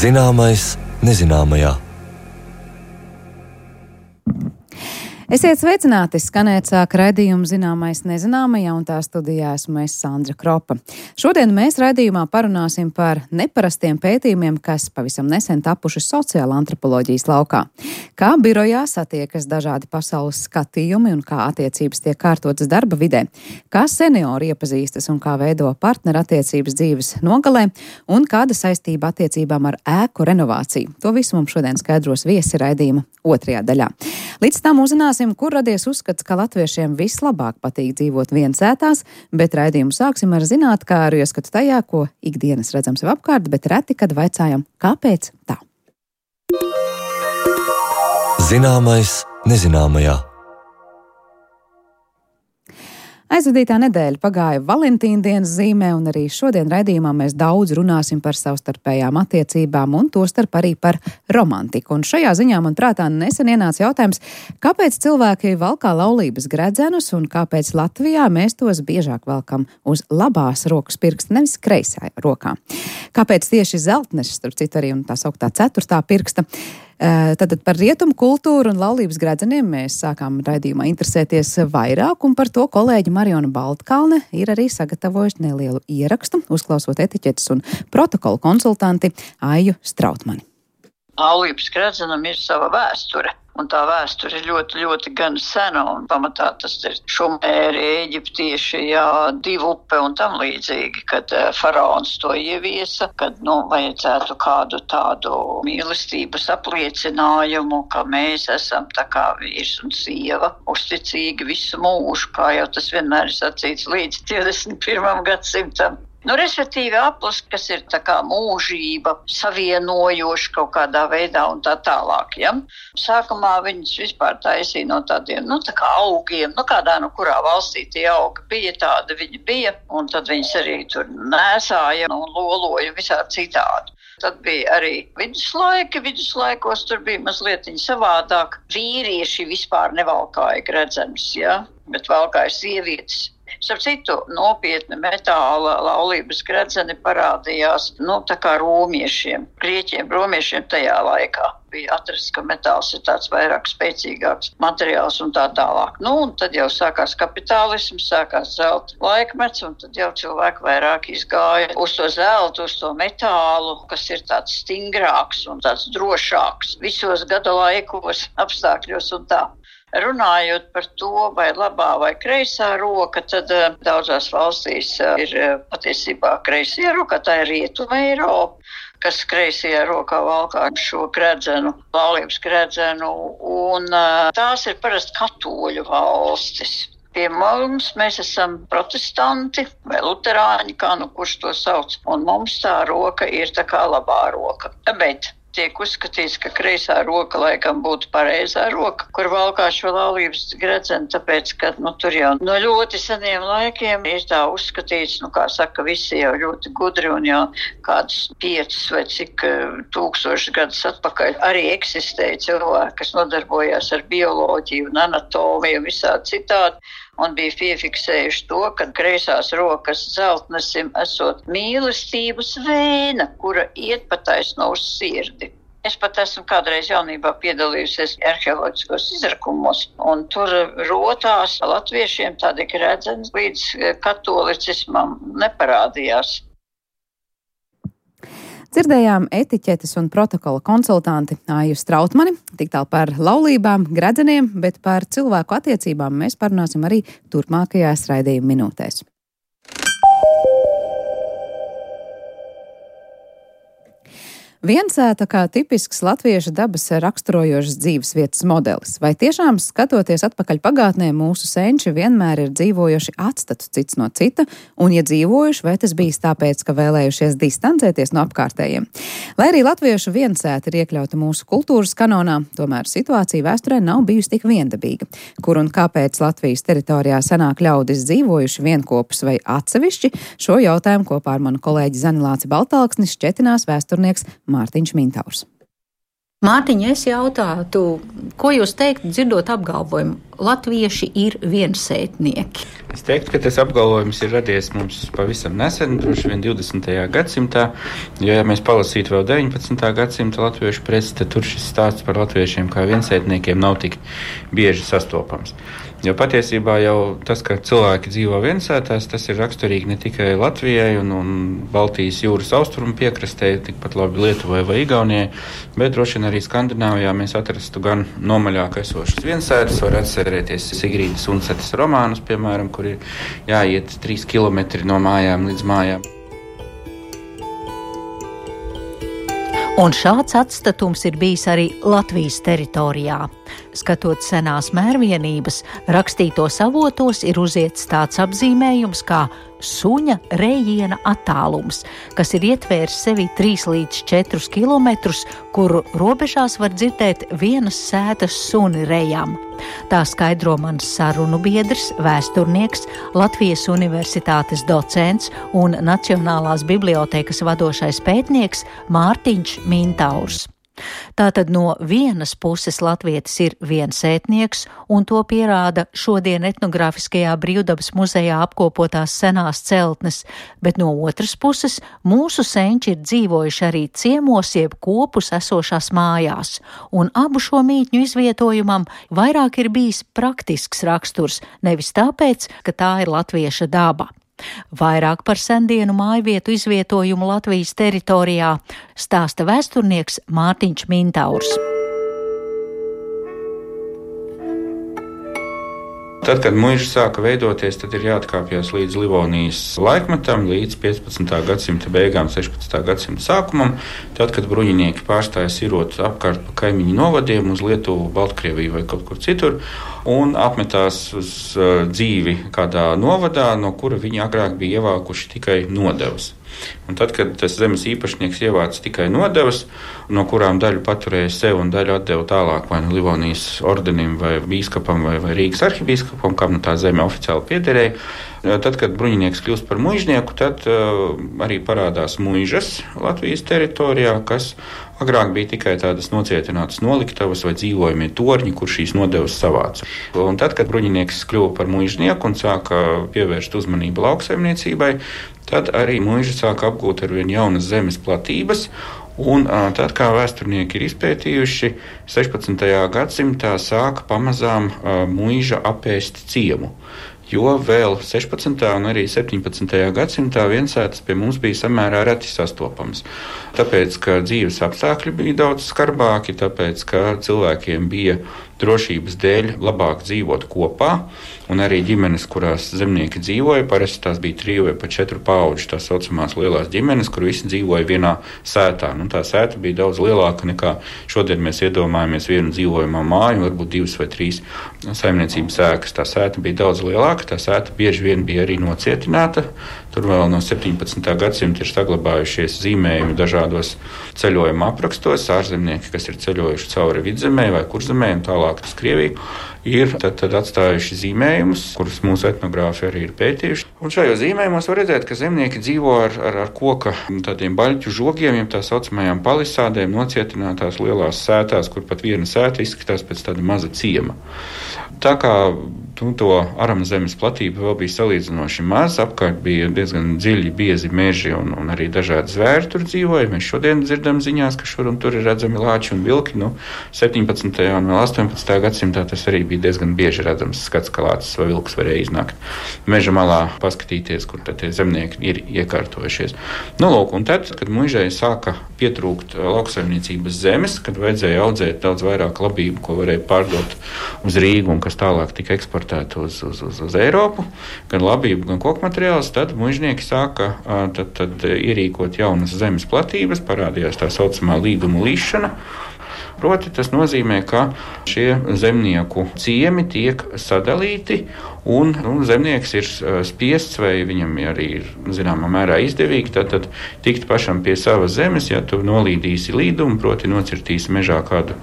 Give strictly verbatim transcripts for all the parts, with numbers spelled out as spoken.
Zināmais nezināmajā. Esiet sveicināti, skanēt sāk raidījumu Zināmais nezināmajā, un tā studijā esmu es, Sandra Kropa. Šodien mēs raidījumā parunāsim par neparastiem pētījumiem, kas pavisam nesen tapuši sociāla antropoloģijas laukā. Kā birojā satiekas dažādi pasaules skatījumi un kā attiecības tiek kārtotas darba vidē, kā seniori iepazīstas un kā veido partnerattiecības dzīves nogalē, un kāda saistība attiecībām ar ēku renovāciju. To visu mums šodien skaidros viesi raidījuma otrajā daļā. Līdz tam uzzināsim, kur radies uzskats, ka latviešiem vislabāk patīk dzīvot viensētās, bet raidījumu sāksim ar zinātkāru ieskatu tajā, ko ikdienas redzam sev apkārt, bet reti, kad vaicājam, kāpēc tā. Zināmais nezināmajā. Aizvadītā nedēļa pagāja Valentīna dienas zīmē, un arī šodien raidījumā mēs daudz runāsim par savstarpējām attiecībām un tostarp arī par romantiku. Un šajā ziņā man prātā nesen ienāca jautājums, kāpēc cilvēki valkā laulības gredzenus un kāpēc Latvijā mēs tos biežāk valkam uz labās rokas pirksta, nevis kreisā rokā. Kāpēc tieši zeltnes, starp citu arī un tā sauktā ceturtā pirksta? Tātad par rietumu kultūru un laulības gredzeniem mēs sākām raidījumā interesēties vairāk, un par to kolēģi Mariona Baltkalne ir arī sagatavojusi nelielu ierakstu, uzklausot etiķetes un protokolu konsultanti Aiju Strautmani. Laulības gredzenam ir sava vēsture. Un tā vēsture ir ļoti, ļoti gan sena, un pamatā tas ir šumēri, eģiptieši, jā, divu upe un tam līdzīgi, kad uh, faraons to ieviesa, kad, nu, vajadzētu kādu tādu mīlestības apliecinājumu, ka mēs esam tā kā vīrs un sieva, uzticīgi visu mūžu, kā jau tas vienmēr ir sacīts līdz divdesmit pirmajam gadsimtam. Nu, respektīvi aplis, kas ir tā kā mūžība, savienojoša kaut kādā veidā un tā tālāk, ja? Sākumā viņas vispār taisīja no tādiem, nu, tā kā augiem, nu, kādā, nu, kurā valstī tie augi bija, tāda viņi bija, un tad viņas arī tur nēsāja un loloja visādi citādi. Tad bija arī viduslaiki, viduslaikos tur bija mazliet savādāk. Vīrieši vispār nevalkāja gredzenus, ja? Bet valkāja sievietes. Starp citu, nopietni metāla laulības gredzeni parādījās, nu, tā kā romiešiem, grieķiem, romiešiem tajā laikā. Bija atrasts, ka metāls ir tāds vairāk spēcīgāks materiāls un tā tālāk. Nu, un tad jau sākās kapitālisms, sākās zelta laikmets, un tad jau cilvēki vairāk izgāja uz to zeltu, uz to metālu, kas ir tāds stingrāks un tāds drošāks visos gada laikos, apstākļos un tā. Runājot par to, vai labā vai kreisā roka, tad uh, daudzās valstīs uh, ir uh, patiesībā kreisajā roka, tā ir Rietuma Eiropa, kas kreisajā rokā valkā šo gredzenu, laulības gredzenu, un uh, tās ir parasti katoļu valstis. Pie mums mēs esam protestanti vai luterāņi, kā nu kurš to sauc, un mums tā roka ir tā kā labā roka. Bet tiek uzskatīts, ka kreisā roka laikam būtu pareizā roka, kur valkā šo laulības gredzenu, tāpēc, ka, nu, tur jau no ļoti seniem laikiem ir tā uzskatīts, nu, kā saka, visi jau ļoti gudri un jau kādus piecus vai cik tūkstošus gadus atpakaļ arī eksistēja cilvēki, kas nodarbojās ar bioloģiju un anatomiju un visādi citādi. Un bija piefiksējuši to, ka kreisās rokas zeltnesim esot mīlestības vēna, kura iet pa taisno uz sirdi. Es pat esmu kādreiz jaunībā piedalījusies arheoloģiskos izrakumos, un tur rotās latviešiem tādi gredzeni līdz katolicismam neparādījās. Dzirdējām etiķetes un protokola konsultanti Aiju Strautmani, tik tālu par laulībām, gredzeniem, bet par cilvēku attiecībām mēs parunāsim arī turpmākajās raidījuma minūtēs. Viensēta kā tipisks latviešu dabas raksturojošas dzīves vietas modelis. Vai tiešām, skatoties atpakaļ pagātnē, mūsu senči vienmēr ir dzīvojuši atstatus cits no cita, un, ja dzīvojuši, vai tas bijis tāpēc, ka vēlējušies distancēties no apkārtējiem? Lai arī latviešu viensēta ir iekļauta mūsu kultūras kanonā, tomēr situācija vēsturē nav bijusi tik viendabīga. Kur un kāpēc Latvijas teritorijā senāk ļaudis dzīvojuši vienkopus vai atsevišķi, šo jautājumu kopā ar manu kolēģi Zanilāci Baltalksni šķetinās vēsturnieks Mārtiņš Mintaurs. Mārtiņ, es jautātu, ko jūs teiktu, dzirdot apgalvojumu, latvieši ir viensētnieki? Es teiktu, ka tas apgalvojums ir radies mums pavisam nesen, droši vien divdesmitajā gadsimtā, jo, ja mēs palasītu vēl deviņpadsmitā gadsimta latviešu presi, tad tur šis stāsts par latviešiem kā viensētniekiem nav tik bieži sastopams. Jo patiesībā jau tas, ka cilvēki dzīvo viensētās, tas ir raksturīgi ne tikai Latvijai un, un Baltijas jūras austrumu piekrastē, tikpat labi Lietuvai vai Igaunijai, bet droši vien arī Skandināvijā mēs atrastu gan nomaļāk esošas viensētas, var atcerēties Sigrīdas Uncetes romānus, piemēram, kur ir jāiet trīs kilometri no mājām līdz mājām. Un šāds atstatums ir bijis arī Latvijas teritorijā. Skatot senās mērvienības, rakstītos avotos ir uziets tāds apzīmējums kā suņa rejiena attālums, kas ir ietvērs sevi trīs līdz četrus kilometrus, kuru robežās var dzirdēt vienas sētas suni rejam. Tā skaidro mans sarunu biedrs, vēsturnieks, Latvijas Universitātes docents un Nacionālās bibliotēkas vadošais pētnieks Mārtiņš Mintaurs. Tātad no vienas puses latvietis ir viensētnieks, un to pierāda šodien etnogrāfiskajā Brīvdabas muzejā apkopotās senās celtnes, bet no otras puses mūsu senči ir dzīvojuši arī ciemos jeb kopus esošās mājās, un abu šo mītņu izvietojumam vairāk ir bijis praktisks raksturs, nevis tāpēc, ka tā ir latvieša daba. Vairāk par sendienu mājvietu izvietojumu Latvijas teritorijā stāsta vēsturnieks Mārtiņš Mintaurs. Tad, kad muiža sāka veidoties, tad ir jāatkāpjas līdz Livonijas laikmetam, līdz piecpadsmitā gadsimta beigām, sešpadsmitā gadsimta sākumam, tad, kad bruņinieki pārstāja sirot apkārt pa kaimiņu novadiem uz Lietuvu, Baltkrieviju vai kaut kur citur, un apmetās uz uh, dzīvi kādā novadā, no kura viņi agrāk bija ievākuši tikai nodevas. Un tad, kad tas zemes īpašnieks ievāca tikai nodevas, no kurām daļu paturēja sev un daļu atdeva tālāk vai nu Livonijas ordenim vai bīskapam vai, vai Rīgas arhibīskapam, kam nu tā zeme oficiāli piederēja, tad, kad bruņinieks kļūst par muižnieku, tad uh, arī parādās muižas Latvijas teritorijā, kas agrāk bija tikai tādas nocietinātas noliktavas vai dzīvojamie torņi, kur šīs nodevas savāca. Un tad, kad bruņinieks kļuva par muižnieku un sāka pievērst uzmanību lauksaimniecībai, tad arī muiža sāka apgūt ar vien jaunas zemes platības, un tad, kā vēsturnieki ir izpētījuši, sešpadsmitajā gadsimtā sāka pamazām muiža apēst ciemu. Jo vēl sešpadsmitajā un arī septiņpadsmitajā gadsimtā viensētas pie mums bija samērā reti sastopams. Tāpēc, ka dzīves apstākļi bija daudz skarbāki, tāpēc, ka cilvēkiem bija drošības dēļ labāk dzīvot kopā, un arī ģimenes, kurās zemnieki dzīvoja, parasti tās bija triju vai pat četru paudžu, tās saucamās lielās ģimenes, kur visi dzīvoja vienā sētā. Nu, tā sēta bija daudz lielāka nekā šodien mēs iedomājamies vienu dzīvojamā māju, varbūt divas vai trīs saimniecības ēkas. Tā sēta bija daudz lielāka, tā sēta bieži vien bija arī nocietināta. Tur vēl no septiņpadsmitā gadsimta ir saglabājušies zīmējumi dažādos ceļojuma aprakstos. Ārzemnieki, kas ir ceļojuši cauri Vidzemē vai Kurzemē un tālāk uz Krieviju, ir tad, tad atstājuši zīmējumus, kurus mūsu etnogrāfi arī ir pētījuši. Un šajos zīmējumos var redzēt, ka zemnieki dzīvo ar, ar, ar koka tādiem baļķu žogiem, jeb tā saucamajām palisādēm, nocietinātās lielās sētās, kur pat viena sēta izskatās pēc tāda maza ciema. Tā kā nu, to arama zemes platība vēl bija salīdzinoši maz, apkārt bija diezgan dziļi, biezi meži un, un arī dažādi zvēri tur dzīvoja. Mēs šodien dzirdam ziņās, ka šur un tur ir redzami lāči un vilki. Nu, septiņpadsmitajā un vēl astoņpadsmitajā gadsimtā tas arī bija diezgan bieži redzams skats, ka lācis vai vilks varēja iznākt meža malā, paskatīties, kur tad tie zemnieki ir iekārtojušies. Nu, lūk, un tad, kad muižai sāka pietrūkt lauksaimniecības zemes, kad vajadzēja audzēt daudz vairāk labību, ko varēja pārdot uz Rīgu un kas tālāk tika eksportēta uz, uz, uz, uz Eiropu, gan labību, gan koku materiālus, tad muižnieki sāka tad, tad ierīkot jaunas zemes platības, parādījās tā saucamā līdumu līšana. Proti, tas nozīmē, ka šie zemnieku ciemi tiek sadalīti, un nu, zemnieks ir spiests, vai viņam arī ir zināmā mērā izdevīgi, tad, tad tikt pašam pie savas zemes, ja tu nolīdīsi līdumu, proti nocirtīsi mežā kādu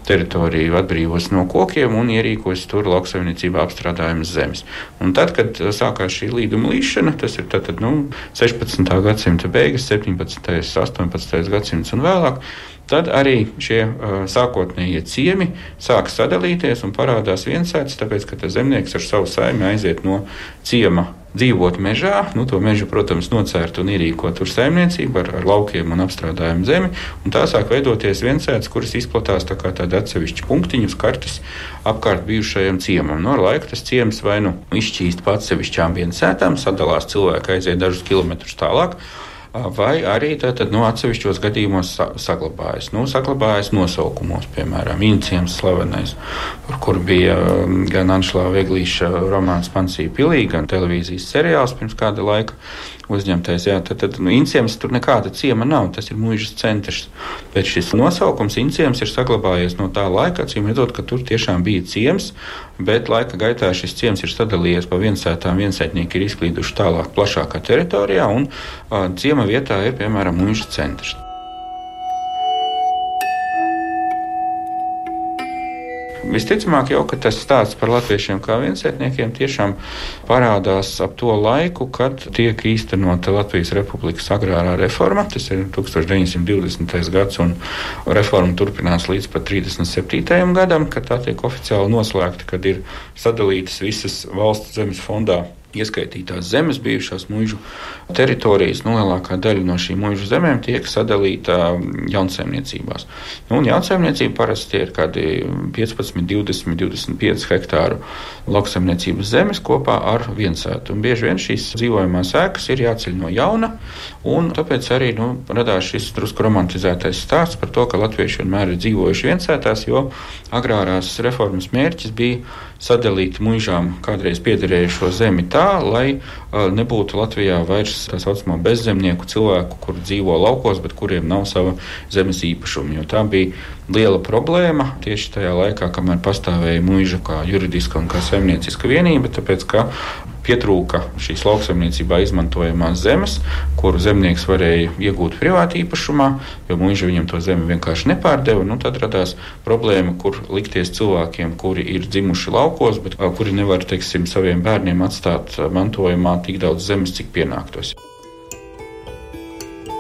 teritoriju, atbrīvos no kokiem un ierīkosi tur lauksaimniecībā apstrādājumas zemes. Un tad, kad sākās šī līduma līšana, tas ir tad, nu, sešpadsmitā gadsimta beigas, septiņpadsmitais, astoņpadsmitais gadsimts un vēlāk, tad arī šie uh, sākotnējie ciemi sāk sadalīties un parādās viensētas, tāpēc, ka tas zemnieks ar savu saimi aiziet no ciema dzīvot mežā, nu to mežu, protams, nocērt un ierīkot tur saimniecību ar, ar laukiem un apstrādājumu zemi, un tā sāk veidoties viensētas, kuras izplatās tā kā tādi atsevišķi punktiņi uz kartes apkārt bijušajam ciemam. No ar laiku tas ciems vai nu izšķīst pa atsevišķām viensētām, sadalās, cilvēki aiziet dažus kilometrus tālāk, vai arī tātad no atsevišķos gadījumos sa- saglabājas. Nu, saglabājas nosaukumos, piemēram, Inciems slavenais, par kuru bija gan Anšlāva Eglīša romāns Pansija pilī, gan televīzijas seriāls pirms kāda laika uzņemtais. Jā, tad, tad nu, Inciems tur nekāda ciema nav, tas ir muižas centrs. Bet šis nosaukums Inciems ir saglabājies no tā laika, acīm redzot, ka tur tiešām bija ciems, bet laika gaitā šis ciems ir sadalījies pa viensētām, viensētnieki ir izklīduši tālāk plašākā teritorijā, un uh, ciema vietā ir, piemēram, muižas centrs. Visticamāk jau, ka tas stāsts par latviešiem kā viensētniekiem tiešām parādās ap to laiku, kad tiek īstenota Latvijas Republikas agrārā reforma. Tas ir tūkstoš deviņsimt divdesmitais gads, un reforma turpinās līdz pat trīsdesmit septītajam gadam, kad tā tiek oficiāli noslēgta, kad ir sadalītas visas valsts zemes fondā ieskaitītās zemes, bijušās muižu teritorijas. Nu, lielākā daļa no šīm muižu zemēm tiek sadalīta jaunsaimniecībās. Nu, un jaunsaimniecība parasti ir kādi piecpadsmit, divdesmit, divdesmit pieci hektāru lauksaimniecības zemes kopā ar viensētu. Un bieži vien šīs dzīvojamās ēkas ir jāceļ no jauna, un tāpēc arī nu, radās šis drusku romantizētais stāsts par to, ka latvieši vienmēr ir dzīvojuši viensētās, jo agrārās reformas mērķis bija sadalīt muižām kādreiz piederējušo zemi tā, lai uh, nebūtu Latvijā vairs tā saucamo bezzemnieku cilvēku, kur dzīvo laukos, bet kuriem nav sava zemes īpašuma, jo tā bija liela problēma tieši tajā laikā, kamēr pastāvēja muiža kā juridiska un kā saimnieciska vienība, tāpēc, ka pietrūka šīs lauksaimniecībā izmantojamās zemes, kuru zemnieks varēja iegūt privāti īpašumā, jo muiža viņam to zemi vienkārši nepārdeva. Nu, tad radās problēma, kur likties cilvēkiem, kuri ir dzimuši laukos, bet kuri nevar, teiksim, saviem bērniem atstāt mantojumā tik daudz zemes, cik pienāktos.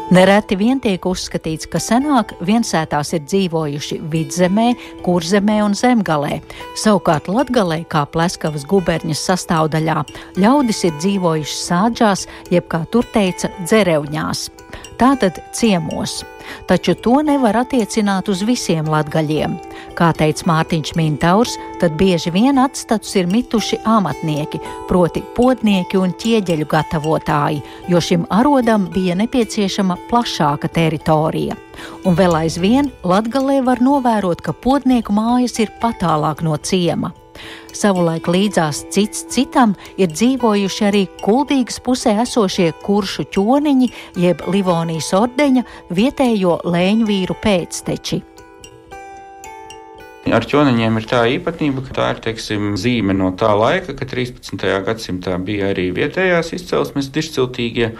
Nereti vien tiek uzskatīts, ka senāk viensētās ir dzīvojuši Vidzemē, Kurzemē un Zemgalē. Savukārt Latgalē, kā Pleskavas guberņas sastāvdaļā, ļaudis ir dzīvojuši sādžās, jeb kā tur teica, dzerevņās. Tātad ciemos. Taču to nevar attiecināt uz visiem latgaļiem. Kā teica Mārtiņš Mintaurs, tad bieži vien atstatus ir mituši amatnieki, proti podnieki un ķieģeļu gatavotāji, jo šim arodam bija nepieciešama plašāka teritorija. Un vēl aizvien Latgalē var novērot, ka podnieku mājas ir patālāk no ciema. Savulaik līdzās cits citam ir dzīvojuši arī Kuldīgas pusē esošie kuršu ķoniņi, jeb Livonijas ordeņa vietējo lēņvīru pēcteči. Ar ķoniņiem ir tā īpatnība, ka tā ir, teiksim, zīme no tā laika, ka trīspadsmitajā gadsimtā bija arī vietējās izcelsmes dižciltīgie,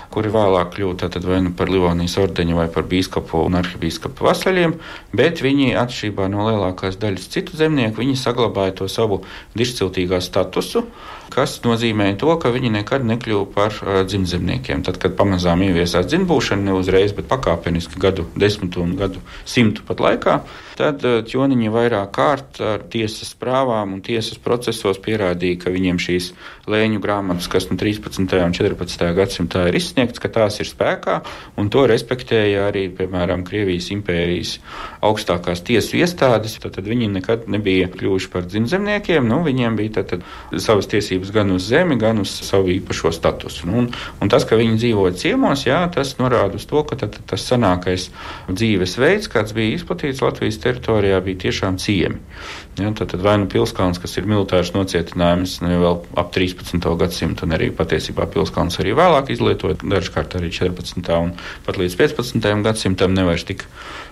kuri vēlāk kļūta tad vai nu par Livonijas ordeņu vai par bīskapu un arhibīskapu vasaļiem, bet viņi atšķirībā no lielākās daļas citu zemnieku, viņi saglabāja to savu dižciltīgā statusu, kas nozīmēja to, ka viņi nekad nekļuva par uh, dzimtzemniekiem. Tad, kad pamazām ieviesās dzimtbūšana, ne uzreiz, bet pakāpeniski gadu desmitu un gadu simtu pat laikā, tad uh, ķoniņi vairāk kārt ar tiesas prāvām un tiesas procesos pierādīja, ka viņiem šīs lēņu grāmatas, kas no trīspadsmitajā un četrpadsmitajā gadsimtā ir izsniegts, ka tās ir spēkā, un to respektēja arī, piemēram, Krievijas impērijas augstākās tiesu iestādes. Tad, tad viņi nekad nebija kļuvuši par dzimtzemniekiem, nu, viņiem bija tad, tad savas tiesības gan uz zemi, gan uz savu īpašo statusu. Nu, un, un tas, ka viņi dzīvoja ciemos, jā, tas norāda uz to, ka tad, tad tas senākais dzīves veids, kāds bija izplatīts Latvijas teritorijā, bija tiešām ciemi. Ja, tad, tad vai nu Pilskalns, kas ir militārs nocietinājums, ne vēl ap trīspadsmito gadsimtu, un arī patiesībā Pilskalns arī vēlāk izlietot, dažkārt arī četrpadsmitā un pat līdz piecpadsmitajam gadsimtam nevairs tik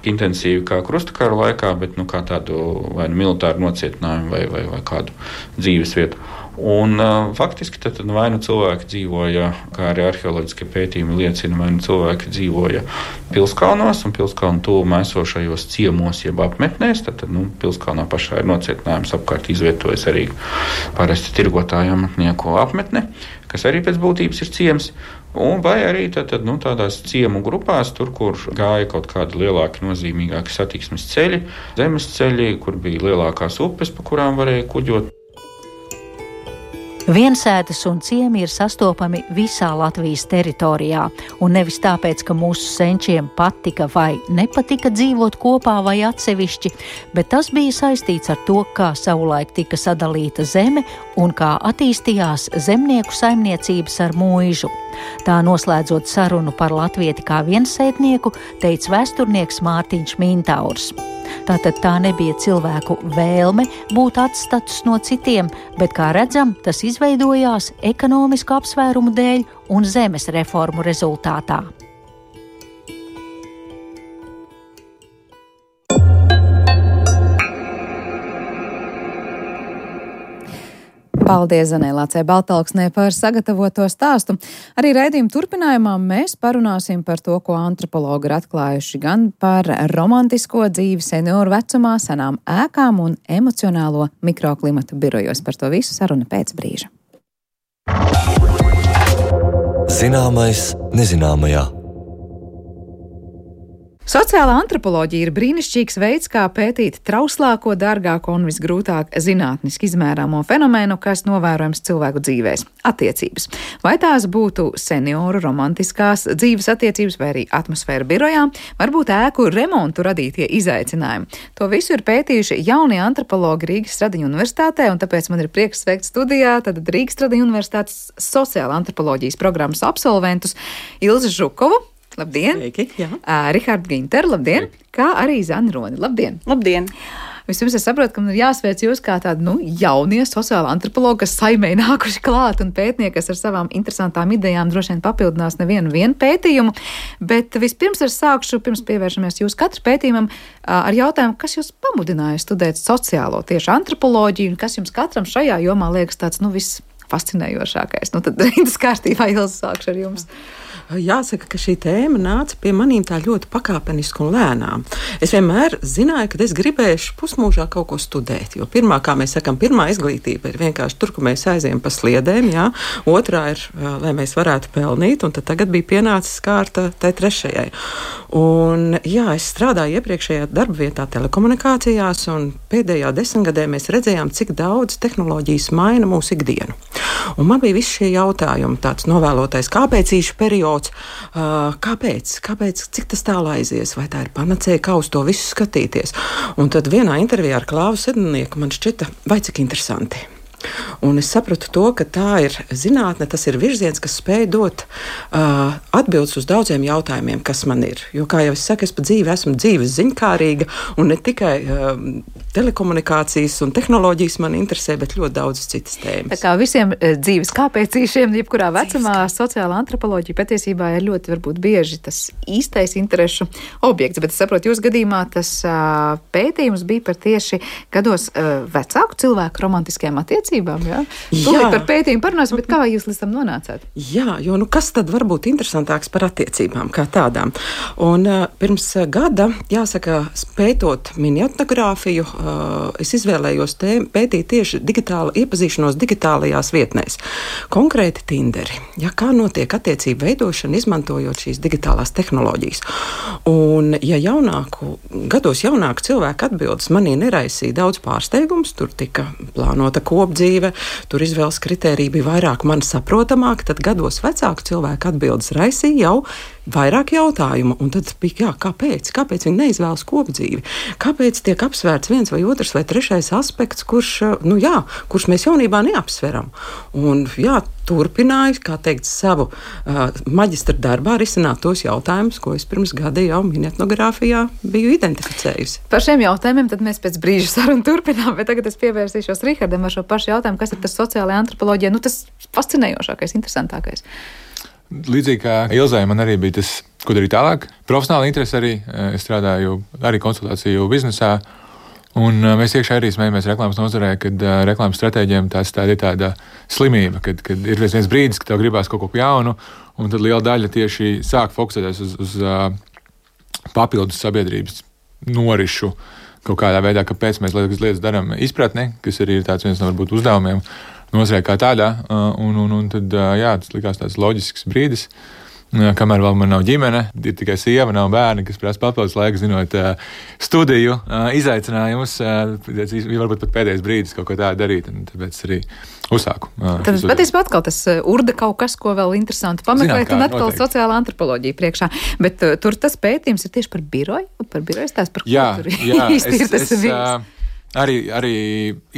intensīvi kā krustakara laikā, bet nu, kā tādu vai nu militāru nocietinājumu vai, vai, vai kādu dzīves vietu. Un uh, faktiski tad vai nu cilvēki dzīvoja, kā arī arheoloģiskie pētījumi liecina, vai nu cilvēki dzīvoja Pilskalnos un Pilskalnu tuvumā esošajos ciemos jeb apmetnēs, tad, tad nu, Pilskalnā pašā ir nocietinājums, apkārt izvietojas arī parasti tirgotāju amatnieku apmetne, kas arī pēc būtības ir ciems. Un vai arī tad, tad, nu, tādās ciemu grupās, tur, kur gāja kaut kādi lielāki, nozīmīgāki satiksmes ceļi, zemes ceļi, kur bija lielākās upes, pa kurām varēja kuģot. Viensētas un ciemi ir sastopami visā Latvijas teritorijā, un nevis tāpēc, ka mūsu senčiem patika vai nepatika dzīvot kopā vai atsevišķi, bet tas bija saistīts ar to, kā savulaik tika sadalīta zeme un kā attīstījās zemnieku saimniecības ar mūižu. Tā noslēdzot sarunu par latvieti kā viensētnieku, teica vēsturnieks Mārtiņš Mintaurs. Tātad tā nebija cilvēku vēlme būt atstatus no citiem, bet, kā redzam, tas izveidojās ekonomisku apsvērumu dēļ un zemes reformu rezultātā. Paldies Zanē Lācei Baltalksnē par sagatavoto stāstu. Arī raidījuma turpinājumā mēs parunāsim par to, ko antropologi ir atklājuši gan par romantisko dzīvi senioru vecumā, senām ēkām un emocionālo mikroklimatu birojos. Par to visu saruna pēc brīža. Zināmais nezināmajā. Sociālā antropoloģija ir brīnišķīgs veids, kā pētīt trauslāko, dārgāko un visgrūtāk zinātniski izmērāmo fenomenu, kas novērojams cilvēku dzīvēs - attiecības. Vai tās būtu senioru romantiskās dzīves attiecības vai arī atmosfēra birojā, varbūt ēku remontu radītie izaicinājumi. To visu ir pētījuši jaunie antropologi Rīgas Stradiņu universitātē, un tāpēc man ir prieks sveikt studijā tad Rīgas Stradiņu universitātes sociālā antropoloģijas programmas absolventus Ilzi Žukovu. Labdien! Sveiki, jā. Uh, Rihardu Ginteru, labdien! Sveiki. Kā arī Zani Roni, labdien! Labdien! Vispirms es saprotu, ka man ir jāsveic jūs kā tādi, nu, jaunie sociāli antropologi, kas saimē nākuši klāt un pētnieki, kas ar savām interesantām idejām droši vien papildinās nevienu vienu pētījumu. Bet vispirms es sākšu, pirms pievēršamies jūsu katru pētījumam, ar jautājumu, kas jūs pamudināja studēt sociālo tieši antropoloģiju un kas jums katram šajā jomā liekas tāds, nu, visfascinējošākais. Nu, tad rindas kārtībā Ilzi sākšu ar jums. Jāsaka, ka šī tēma nāca pie manīm tā ļoti pakāpeniski un lēnām. Es vienmēr zināju, ka es gribēšu pusmūžā kaut ko studēt, jo pirmā, kā mēs sakam, pirmā izglītība ir vienkārši tur, kur mēs aizējam pa sliedēm, jā. Otrā ir, lai mēs varētu pelnīt, un tad tagad bija pienācis kārta tai trešajai. Un jā, es strādāju iepriekšējā darba vietā telekomunikācijās, un pēdējā desmitgadē mēs redzējām, cik daudz tehnoloģijas maina mūsu ikdienu. Un man bija visi šie jautājumi, tāds novēlotais kāpēcīšu periods. Uh, kāpēc? Kāpēc? Cik tas tālu aizies? Vai tā ir panacēja, kā uz to visu skatīties? Un tad vienā intervijā ar Klāvu Sedlnieku man šķita, vai cik interesanti. Un es sapratu to, ka tā ir zinātne, tas ir virziens, kas spēj dot uh, atbildes uz daudziem jautājumiem, kas man ir. Jo, kā jau es saku, es pa dzīvi esmu dzīves ziņkārīga, un ne tikai uh, telekomunikācijas un tehnoloģijas man interesē, bet ļoti daudzas citas tēmas. Tā kā visiem dzīves kāpēcīšiem, jebkurā vecumā, sociāla antropoloģija patiesībā ir ļoti varbūt bieži tas īstais interešu objekts, bet es saprotu, jūs gadījumā tas uh, pētījums bija par tieši gados uh, vecāku cilvēku romantiskajām attiecībām. Jā? Tūlīt par pētījumu parunāsim, bet kā jūs līdz tam nonācāt? Jā, jo nu kas tad var būt interesantāks par attiecībām kā tādām? Un uh, pirms gada, jāsaka, pētot miniatogrāfiju, uh, es izvēlējos tēm, pētīt tieši digitāla, iepazīšanos digitālajās vietnēs. Konkrēti Tinderi. Ja, kā notiek attiecību veidošana, izmantojot šīs digitālās tehnoloģijas. Un ja jaunāku, gados jaunāku cilvēku atbildes manī neraisīja daudz pārsteigums, tur tika plānota kopdzīve, tur izvēles kritērija bija vairāk man saprotamāk, tad gados vecāku cilvēku atbildes raisīja jau vairāk jautājumu. Un tad bija, jā, kāpēc? Kāpēc viņi neizvēlas kopdzīvi? Kāpēc tiek apsvērts viens vai otrs vai trešais aspekts, kurš, nu jā, kurš mēs jaunībā neapsveram? Un jā, turpināju, kā teikt, savu uh, maģistra darbā risināt tos jautājumus, ko es pirms gada jau miniatogrāfijā biju identificējusi. Par šiem jautājumiem tad mēs pēc brīža sarunu turpinām, bet tagad es pievērsīšos Rihardam ar šo pašu jautājumu, kas ir tas sociālajā antropoloģijā, nu tas fascinējošākais, interesantākais. Līdzīgi kā Ilzai, man arī bija tas, ko darīt tālāk. Profesionāli interesi arī. Es strādāju arī konsultāciju biznesā. Un mēs iekšā arī smējamies reklāmas nozarē, kad uh, reklāmas stratēģiem tās tāda ir tāda slimība, kad, kad ir viens brīdis, kad tev gribās kaut ko jaunu, un tad liela daļa tieši sāk fokusēties uz, uz uh, papildus sabiedrības norišu kaut kādā veidā, kāpēc mēs lietas darām izpratni, kas arī ir tāds viens no varbūt uzdevumiem. nozarē kā tādā. Un, un, un tad, jā, tas likās tāds loģisks brīdis. Kamēr vēl man nav ģimene, ir tikai sieva, nav bērni, kas prasa papildus laiku, zinot studiju izaicinājumus. Varbūt pat pēdējais brīdis kaut ko tādu darīt, un tāpēc arī uzsāku. Tad patiesībā atkal tas urda kaut kas, ko vēl interesanti pameklēt, un atkal noteikti. Sociāla antropoloģija priekšā. Bet uh, tur tas pētījums ir tieši par biroju, par biroju stāsts, par jā, ko tur jā, īsti ir tas es, viens. Uh, arī, arī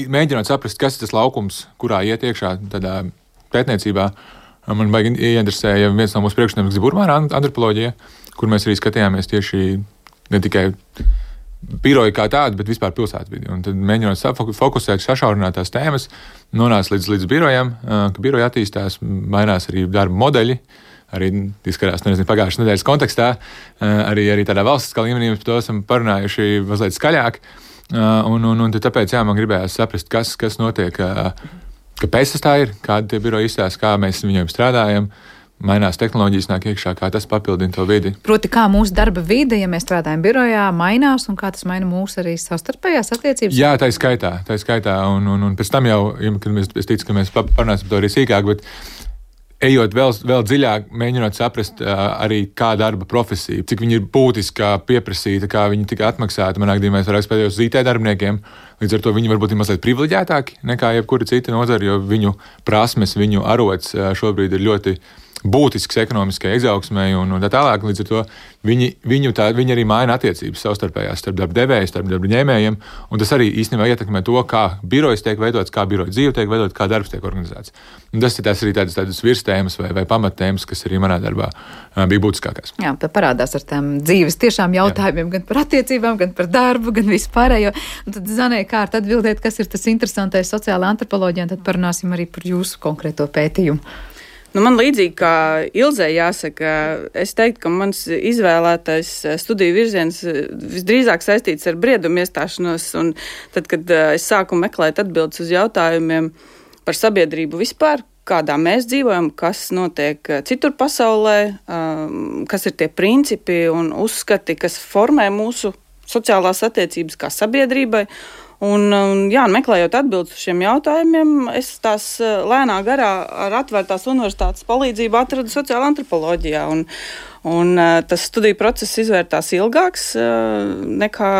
mēģinot saprast, kas ir tas laukums, kurā iet iekšā tādā pētniecībā. Man baigi ieinteresēja viens no mūsu priekšnieks Burmāra antropoloģija, kur mēs arī skatījāmies tieši ne tikai biroju kā tādu, bet vispār pilsētvidi. Un tad mēģinot fokusēt, sašaurināt tās tēmas, nonāca līdz, līdz birojam, ka biroja attīstās, mainās arī darba modeļi, arī izskatās, nezinu, pagājušas nedēļas kontekstā, arī, arī tādā valstiskā līmenī mēs par to esam parunājuši mazliet skaļāk. Un, un, un tāpēc, jā, man gribējās saprast, kas, kas notiek, kāpēc tas tā ir, kādi tie biroji izstāsta, kā mēs viņiem strādājam, mainās tehnoloģijas, nāk iekšā, kā tas papildina to vidi. Proti, kā mūsu darba vide, ja mēs strādājam birojā, mainās un kā tas maina mūsu arī savstarpējās attiecības? Jā, tā ir skaitā, tā ir skaitā, un, un, un pēc tam jau, kad mēs, es ticu, ka mēs parunāsim par to arī sīkāk, bet ejot vēl, vēl dziļāk, mēģinot saprast uh, arī kā darba profesija, cik viņi ir būtiski pieprasīta, kā viņi tika atmaksāti. Manā gadījumā es vairāk spēlējos uz I T darbiniekiem, līdz ar to viņi varbūt ir mazliet privileģētāki nekā jebkura cita nozara, jo viņu prasmes, viņu arots uh, šobrīd ir ļoti būtisks ekonomiskai izaugsmai un, un tā tālāk. Līdz ar to viņi, viņu tā, viņi arī maina attiecības savstarpējās starp darba devējiem, starp darba ņēmējiem, un tas arī īstenībā ietekmē to, kā birojas tiek veidots, kā biroja dzīve tiek veidot, kā darbs tiek organizēts. Un tas ir tas arī tādas, tādas virstēmas vai, vai pamattēmas, kas arī manā darbā uh, bija būtiskākās. Jā, tad parādās ar tām dzīves tiešām jautājumiem, Jā. gan par attiecībām, gan par darbu, gan vispārējo. Un tad Zanē kārt atbildēt, kas ir tas interesantais sociālā antropoloģija, un tad parunāsim arī par jūsu konkrēto pētījumu. Nu, man līdzīgi kā Ilzei jāsaka, es teiktu, ka mans izvēlētais studiju virziens visdrīzāk saistīts ar briedumu iestāšanos, un tad, kad es sāku meklēt atbildes uz jautājumiem par sabiedrību vispār, kādā mēs dzīvojam, kas notiek citur pasaulē, kas ir tie principi un uzskati, kas formē mūsu sociālās attiecības kā sabiedrībai. Un, jā, meklējot atbildes uz šiem jautājumiem, es tās lēnā garā ar atvērtās universitātes palīdzību atradu sociāla antropoloģijā. Un, un tas studiju process izvērtās ilgāks nekā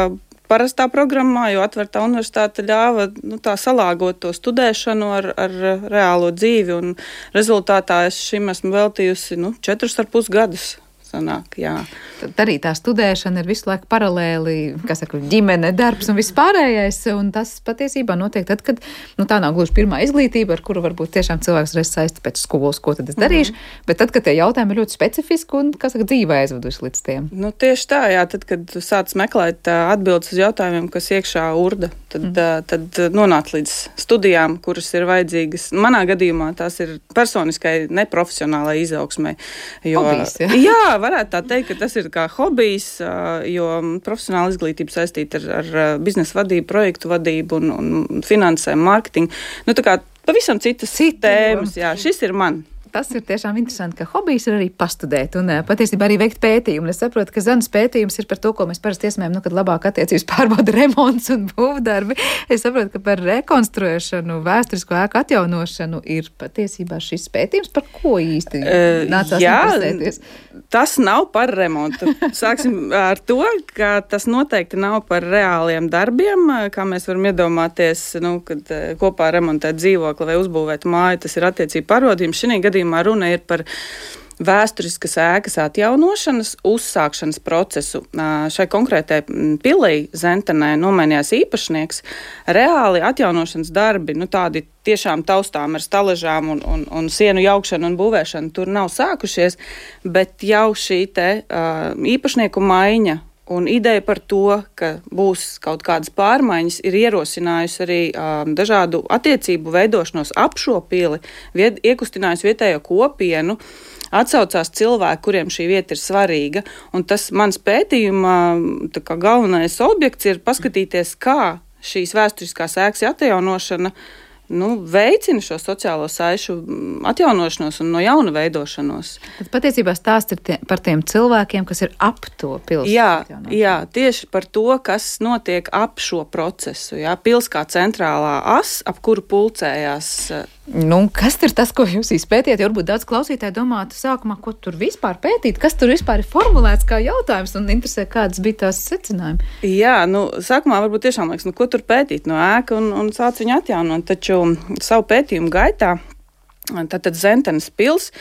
parastā programmā, jo atvērtā universitāte ļāva nu, tā salāgot to studēšanu ar, ar reālo dzīvi. Un rezultātā es šim esmu veltījusi nu, četrus ar pus gadus. Sanāk, jā. Tad arī tā studēšana ir visu laiku paralēli, kā saka, ģimene, darbs un viss pārējais, un tas patiesībā notiek tad, kad, nu tā nav gluži pirmā izglītība, ar kuru varbūt tiešām cilvēks reiz saista pēc skolas, ko tad es darīšu, mm-hmm. bet tad, kad tie jautājumi ir ļoti specifiski un, kā saka, dzīvē aizveduši līdz tiem. Nu tieši tā, jā, tad, kad sāc meklēt uh, atbildes uz jautājumiem, kas iekšā urda, tad, mm. uh, tad nonāc līdz studijām, kuras ir vajadzīgas. Manā gadījumā tās ir personiskai, neprofesionālai izaugsmai. Jo, Hobijs, jā. jā, varētu tā teikt, ka tas ir kā hobijs, jo profesionāla izglītība saistīta ar, ar biznesa vadību, projektu vadību un, un finansēm, mārketingu. Nu, tā kā pavisam citas tēmas, jā, šis ir man. Tas ir tiešām interesanti, ka hobijs ir arī pastudēt un patiesībā arī veikt pētījumu. Es saprotu, ka Zanas pētījums ir par to, ko mēs parasti iesmējam, nu, kad labāk attiecības pārbauda remonts un būvdarbi. Es saprotu, ka par rekonstruēšanu, vēsturisko ēku atjaunošanu ir patiesībā šis pētījums, par ko īsti uh, nācās jā, interesēties. Tas nav par remontu. Sāksim ar to, ka tas noteikti nav par reāliem darbiem, kā mēs varam iedomāties, nu, kad kopā remontēt dzīvokli vai uzbūvēt māju, tas ir attiecību pārbaudījums. Šī gadījumā runa ir par vēsturiskas ēkas atjaunošanas, uzsākšanas procesu. Šai konkrētai pilī Zentenē nomainījās īpašnieks. Reāli atjaunošanas darbi, nu tādi tiešām taustām ar staležām un, un, un sienu jaukšanu un būvēšanu tur nav sākušies, bet jau šī te uh, īpašnieku maiņa un ideja par to, ka būs kaut kādas pārmaiņas, ir ierosinājusi arī um, dažādu attiecību veidošanos ap šo pili, vied, iekustinājusi vietējo kopienu, atsaucās cilvēki, kuriem šī vieta ir svarīga. Un tas mans pētījuma tā kā galvenais objekts ir paskatīties, kā šīs vēsturiskās ēkas atjaunošana nu, veicina šo sociālo saišu atjaunošanos un no jauna veidošanos. Tad patiesībā stāsts ir tie, par tiem cilvēkiem, kas ir ap to pilsētu. Jā, jā, tieši par to, kas notiek ap šo procesu. Jā, pils kā centrālā as, ap kuru pulcējās Nu, kas ir tas, ko jūs izpētījāt? Varbūt daudz klausītāji domātu sākumā, ko tur vispār pētīt, kas tur vispār ir formulēts kā jautājums un interesē, kādas bija tās secinājumi. Jā, nu, sākumā varbūt tiešām liekas, nu, ko tur pētīt no ēka un, un sāc viņu atjaunot, taču savu pētījumu gaitā, tātad Zentenes pils,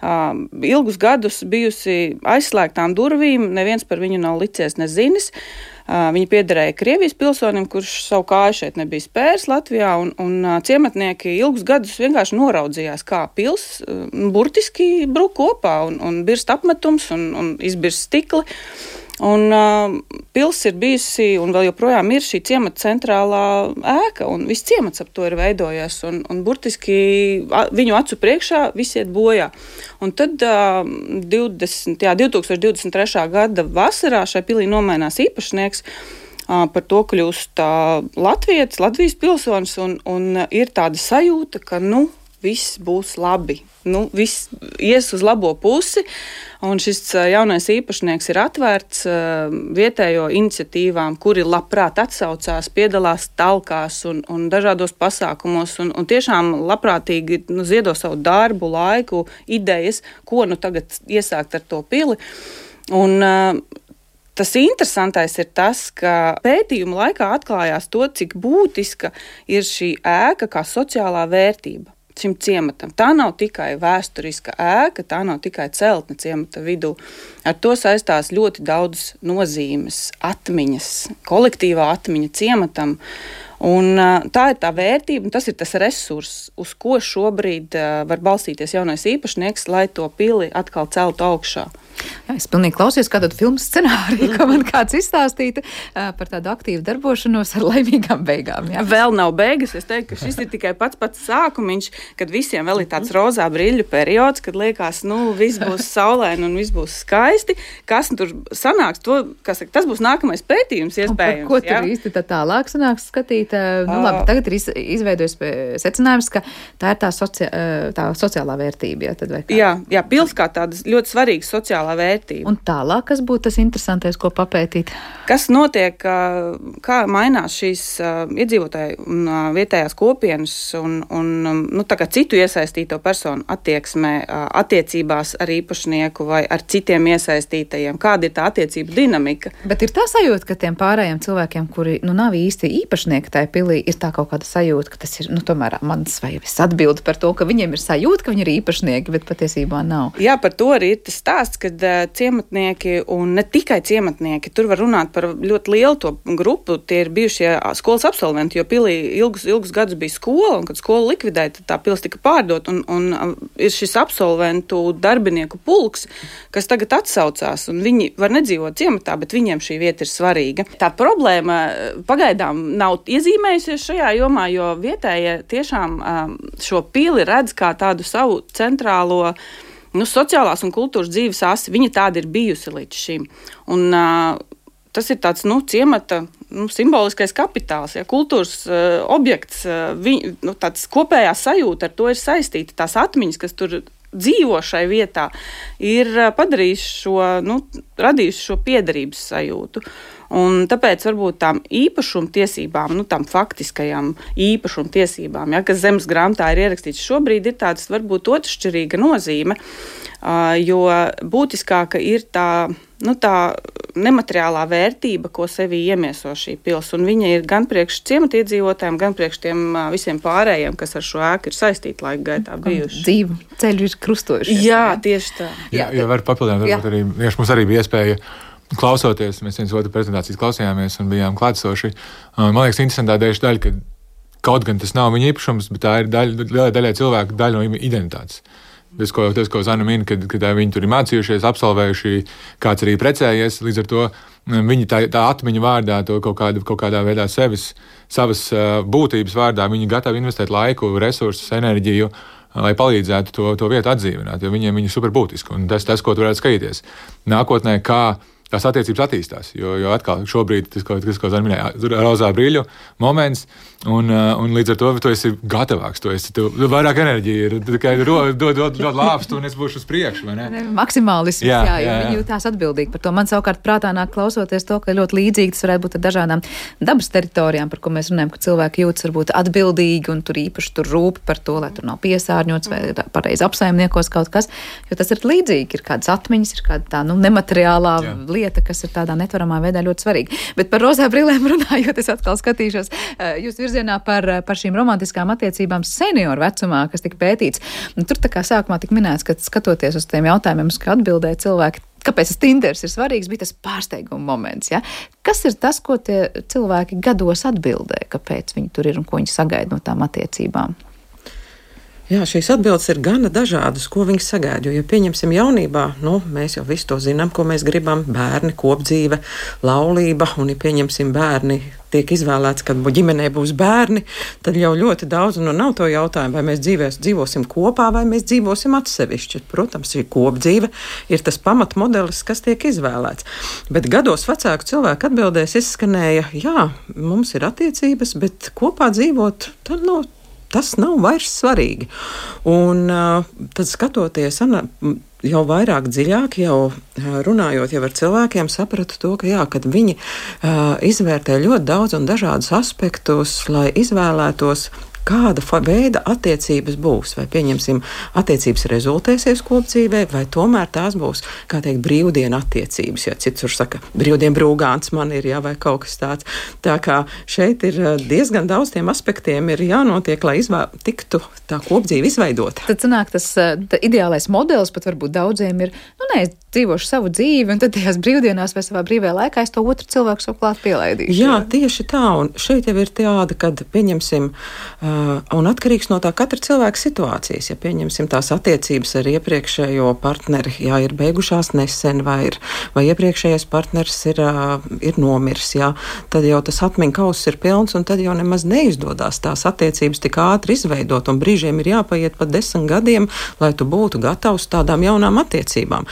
uh, ilgus gadus bijusi aizslēgtām durvīm, neviens par viņu nav licies nezinis. Uh, Viņa piederēja Krievijas pilsonim, kurš savu kāju šeit nebija spērs Latvijā, un, un uh, ciematnieki ilgus gadus vienkārši noraudzījās, kā pils uh, burtiski brūk kopā, un, un birst apmetums, un, un izbirst stikli. Un uh, pils ir bijusi, un vēl joprojām ir šī ciemata centrālā ēka, un viss ciemats ap to ir veidojies, un, un burtiski a, viņu acu priekšā visi iet bojā. Un tad uh, divdesmit, jā, divtūkstoš divdesmit trešā gada vasarā šai pilī nomainās īpašnieks, uh, par to kļūst uh, latvietis, Latvijas pilsonis, un, un ir tāda sajūta, ka, nu, viss būs labi. Nu, viss ies uz labo pusi, un šis jaunais īpašnieks ir atvērts uh, vietējo iniciatīvām, kuri labprāt atsaucās, piedalās talkās un, un dažādos pasākumos, un, un tiešām labprātīgi nu, ziedo savu darbu, laiku, idejas, ko nu tagad iesākt ar to pili. Un, uh, Tas interesantais ir tas, ka pētījuma laikā atklājās to, cik būtiska ir šī ēka kā sociālā vērtība šim ciematam. Tā nav tikai vēsturiska ēka, tā nav tikai celtne ciemata vidū. Ar to saistās ļoti daudz nozīmes, atmiņas, kolektīvā atmiņa ciematam. Un, tā ir tā vērtība, un tas ir tas resurss, uz ko šobrīd var balstīties jaunais īpašnieks, lai to pili atkal celtu augšā. Jā, es pilnīgi klausījos kādu filmu scenāriju, ko man kāds izstāstītu par tādu aktīvu darbošanos ar laimīgām beigām. Jā. Vēl nav beigas. Es teiktu, ka šis ir tikai pats pats sākumiņš, kad visiem vēl ir tāds rozā brīļu periods, kad liekas, nu, viss būs saulaini un viss būs skaisti. Kas tur sanāks, to, kas, tas būs nākamais pētījums iespējams. Un par ko tur jā? īsti tā tālāk sanāks skatīt? Nu, labi, tagad ir izveidojis secinājums, ka tā ir tā, soci, tā sociālā vērtība. Jā, tad vai kā? Jā, jā, pils kā tāda ļoti svarīga sociālā vērtība. Un tālāk, kas būtu tas interesantais, ko papētīt? Kas notiek, kā mainās šīs iedzīvotāju un vietējās kopienas un, un nu, tā kā citu iesaistīto personu attieksmē, attiecībās ar īpašnieku vai ar citiem iesaistītajiem? Kāda ir tā attiecība dinamika? Bet ir tā sajūta, ka tiem pārējiem cilvēkiem, kuri nu, nav īsti īpašnieki tajā pilī, ir tā kaut kāda sajūta, ka tas ir, nu, tomēr mans vai es atbildu par to, ka viņiem ir sajūta, ka viņi ir īpašnieki, bet patiesībā nav. Jā, par to arī ir tas stāsts, kad ciematnieki un ne tikai ciematnieki, tur var runāt par ļoti lielu to grupu, tie ir bijušie skolas absolventi, jo pilī ilgus, ilgus gadus bija skola, un kad skola likvidēja, tad tā pils tika pārdot, un, un ir šis absolventu darbinieku pulks, kas tagad atsaucās, un viņi var nedzīvot ciematā, bet viņiem šī vieta ir svarīga. Tā problēma pagaidām nav iezīmējusies šajā jomā, jo vietējie tiešām šo pili redz kā tādu savu centrālo Nu, sociālās un kultūras dzīves asi, viņa tāda ir bijusi līdz šim. Un, uh, tas ir tāds, nu, ciemata nu, simboliskais kapitāls, ja, kultūras uh, objekts, uh, viņ, nu, tāds kopējā sajūta ar to ir saistīta. Tās atmiņas, kas tur dzīvo šai vietā, ir uh, padarījuši šo, nu, radījuši šo piederības sajūtu. Un tāpēc varbūt tām īpašumtiesībām, nu, tām faktiskajām īpašumtiesībām, ja, kas zemes grāmatā ir ierakstīts šobrīd, ir tāds varbūt otršķirīga nozīme, uh, jo būtiskāka ir tā, nu, tā nemateriālā vērtība, ko sevī iemieso šī pils, un viņa ir gan priekš ciematiedzīvotājiem, gan priekš tiem uh, visiem pārējiem, kas ar šo ēku ir saistīti laika gaitā bijuši. Dzīvu ceļu ir krustojušies. Jā, tieši tā. Jā, jā, var papildināt, varbūt arī, ja mums arī bija iespēja klausoties, mēs viens otru prezentācijas klausījāmies un bijām klātsoši. Man liekas, interesantā daļa, ka kaut gan tas nav viņa īpašums, bet tā ir daļa, lielai daļai cilvēku daļa no viņa identitātes. Tas, ko, tas, ko Zana min, kad, kad viņi tur ir mācījušies, absolvējuši, kāds arī precējies, līdz ar to viņi tā, tā atmiņa vārdā, to kaut, kāda, kaut kādā veidā sevis, savas uh, būtības vārdā, viņi gatavi investēt laiku, resursus, enerģiju, lai palīdzētu to, to vietu atdzīvināt, jo viņiem viņa ir super būtiska, un tas, tas, ko tu varētu skatīties. Nākotnē, kā tās attiecības attīstās. Jo, jo atkal šobrīd tas, ko, tas, ko Zana minēja, rozā brīļu moments, un, un līdz ar to tu esi gatavāks, tu esi, tu, vairāk enerģija ir, tikai dod, dod, dod, dod lāpstu, un es būšu uz priekšu, vai ne? Maksimālisms, jā, jā, jā, jā. Viņi jūtās atbildīgi par to. Man savukārt prātā nāk klausoties to, ka ļoti līdzīgi tas varētu būt ar dažādām dabas teritorijām, par ko mēs runājam, ka cilvēki jūtas varbūt atbildīgi, un tur īpaši tur rūp par to, lai tur nav piesārņots vai pareizi apsaimniekos kaut kas, jo tas ir līdzīgi, ir kādas atmiņas, ir kāda tā, nu, nemateriālā jā. lieta, kas ir tādā netvaramā veidā ļoti svarīga. Bet par rozā brillēm runājot, es atkal skatīšos jūs virzienā par, par šīm romantiskām attiecībām senioru vecumā, kas tika pētīts. Un tur tā kā sākumā tika minēts, ka skatoties uz tiem jautājumiem, uz kā atbildēja cilvēki, kāpēc tas Tinders ir svarīgs, bija tas pārsteiguma moments. Ja? Kas ir tas, ko tie cilvēki gados atbildē, kāpēc viņi tur ir un ko viņi sagaida no tām attiecībām? Jā, šīs atbildes ir gana dažādas, ko viņi sagaida. Jo, ja pieņemsim jaunībā, nu, mēs jau visu to zinām, ko mēs gribam, bērni, kopdzīve, laulība, un ja pieņemsim bērni, tiek izvēlēts, kad ģimenē būs bērni, tad jau ļoti daudz, nu, nav to jautājumu, vai mēs dzīvēs, dzīvosim kopā, vai mēs dzīvosim atsevišķi. Protams, šī kopdzīve ir tas pamatmodelis, kas tiek izvēlēts. Bet gados vecāku cilvēku atbildēs izskanēja, jā, mums ir attiecības, bet kopā dzīvot, tad nav. No, Tas nav vairs svarīgi. Un uh, tad skatoties ana, jau vairāk dziļāk, jau uh, runājot jau ar cilvēkiem, sapratu to, ka jā, kad viņi uh, izvērtē ļoti daudz un dažādus aspektus, lai izvēlētos, kāda veida attiecības būs. Vai, pieņemsim, attiecības rezultēsies kopdzīvē, vai tomēr tās būs, kā teikt, brīvdienu attiecības. Ja cits tur saka, brīvdienu brūgāns man ir, jā, vai kaut kas tāds. Tā kā šeit ir diezgan daudz tiem aspektiem ir jānotiek, lai izvēl, tiktu tā kopdzīve izveidota. Tad sanāk tas tā ideālais modelis, pat varbūt daudziem ir, nu nē, es dzīvošu savu dzīvi, un tad tajās brīvdienās vai savā brīvajā laikā es to otru cilvēku savu klāt pielaidīšu. Jā, tieši tā, un šeit jau ir tāda, kad, pieņemsim, uh, un atkarīgs no tā katra cilvēka situācijas, ja pieņemsim tās attiecības ar iepriekšējo partneri, jā, ir beigušās nesen, vai, ir, vai iepriekšējais partneris ir, uh, ir nomirs, jā, tad jau tas atmiņu kauss ir pilns, un tad jau nemaz neizdodas tās attiecības tik ātri izveidot, un brīžiem ir jāpaiet pat desmit gadiem, lai tu būtu gatavs tādām jaunām attiecībām.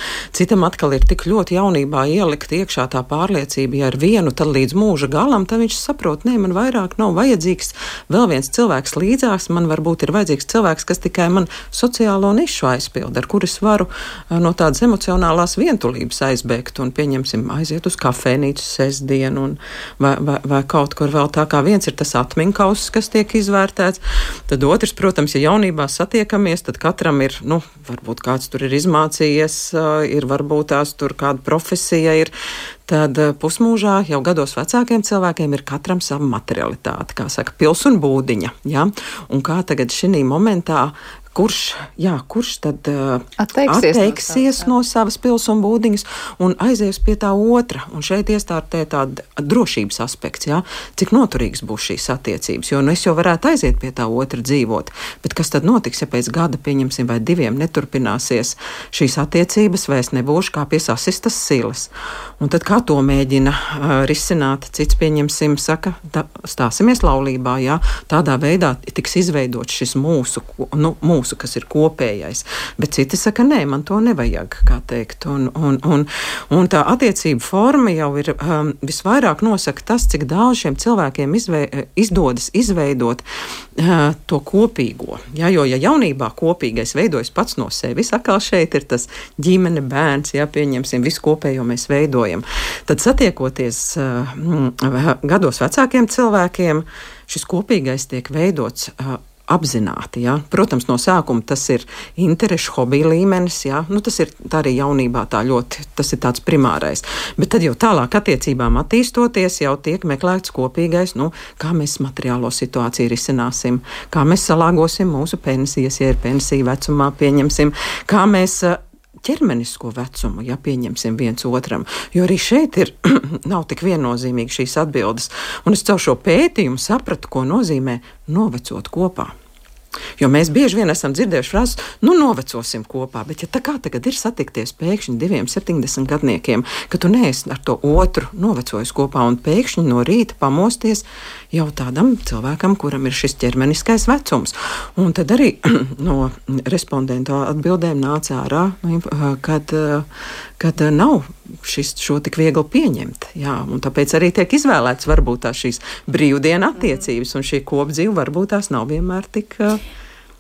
Citam atkal ir tik ļoti jaunībā ielikt iekšā tā pārliecība, ja ar vienu tad līdz mūža galam, tad viņš saprot, nē, man vairāk nav vajadzīgs vēl viens cilvēks līdzās, man varbūt ir vajadzīgs cilvēks, kas tikai man sociālo nišu aizpild, ar kuris varu no tādas emocionālās vientulības aizbēgt un, pieņemsim, aiziet uz kafēnīcu sestdienu un vai, vai, vai kaut kur vēl tā, kā viens ir tas atmiņkauss, kas tiek izvērtēts, tad otrs, protams, ja jaunībā satiekamies, tad katram ir, nu, varbūt kāds tur ir izmācījies, ir varbūt tās tur kāda profesija ir, tad pusmūžā jau gados vecākiem cilvēkiem ir katram sava materialitāte, kā saka, pils un būdiņa, ja? Un kā tagad šī momentā, kurš, jā, kurš tad uh, atteiksies, atteiksies no, savas, no savas pils un būdiņas un aizies pie tā otra. Un šeit iestartē tāda drošības aspekts, jā, cik noturīgs būs šīs attiecības, jo nu es jau varētu aiziet pie tā otra dzīvot, bet kas tad notiks, ja pēc gada, pieņemsim, vai diviem neturpināsies šīs attiecības, vai es nebūšu kā pie sasistas silas. Un tad kā to mēģina uh, risināt, cits, pieņemsim, saka, tā, stāsimies laulībā, jā, tādā veidā tiks izveidots šis mūsu, nu, mūsu kas ir kopējais, bet citi saka, nē, man to nevajag, kā teikt, un, un, un, un tā attiecība forma jau ir um, visvairāk nosaka tas, cik daudz šiem cilvēkiem izvei, izdodas izveidot uh, to kopīgo, ja, jo, ja jaunībā kopīgais veidojas pats no sevis, atkal šeit ir tas ģimene, bērns, ja, pieņemsim, visu kopējo mēs veidojam, tad satiekoties uh, gados vecākiem cilvēkiem, šis kopīgais tiek veidots uh, apzināti, jā. Protams, no sākuma tas ir interešu, hobija līmenis, jā. Nu, tas ir tā arī jaunībā tā ļoti, tas ir tāds primārais. Bet tad jau tālāk attiecībām attīstoties, jau tiek meklēts kopīgais, nu, kā mēs materiālo situāciju risināsim, kā mēs salāgosim mūsu pensijas, ja ir pensija vecumā, pieņemsim, kā mēs ķermenisko vecumu, ja pieņemsim viens otram, jo arī šeit ir, nav tik viennozīmīgi šīs atbildes, un es caur šo pētījumu sapratu, ko nozīmē novecot kopā. Jo mēs bieži vien esam dzirdējuši frāzes, nu, novecosim kopā, bet ja tā kā tagad ir satikties pēkšņi diviem septiņdesmit gadniekiem, ka tu neesi ar to otru novecojis kopā un pēkšņi no rīta pamosties jau tādam cilvēkam, kuram ir šis ķermeniskais vecums. Un tad arī no respondentu atbildēm nāca ārā, kad, kad nav šis, šo tik viegli pieņemt. Jā, un tāpēc arī tiek izvēlēts varbūt tās šīs brīvdiena attiecības, un šī kopdzīve varbūt tās nav vienmēr tik...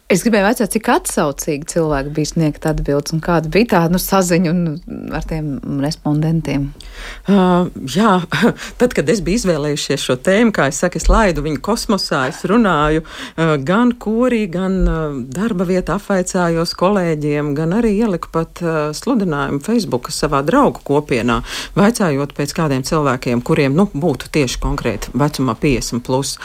Es gribēju vaicāt, cik atsaucīgi cilvēki bija sniegt atbildes un kāda bija tā nu, saziņa ar tiem respondentiem? Uh, jā, tad, kad es biju izvēlējušies šo tēmu, kā es saku, es laidu viņu kosmosā, es runāju uh, gan korī, gan uh, darba vietā apvaicājos kolēģiem, gan arī ieliku pat uh, sludinājumu Facebook savā draugu kopienā, vaicājot pēc kādiem cilvēkiem, kuriem nu, būtu tieši konkrēti vecumā piecdesmit plus.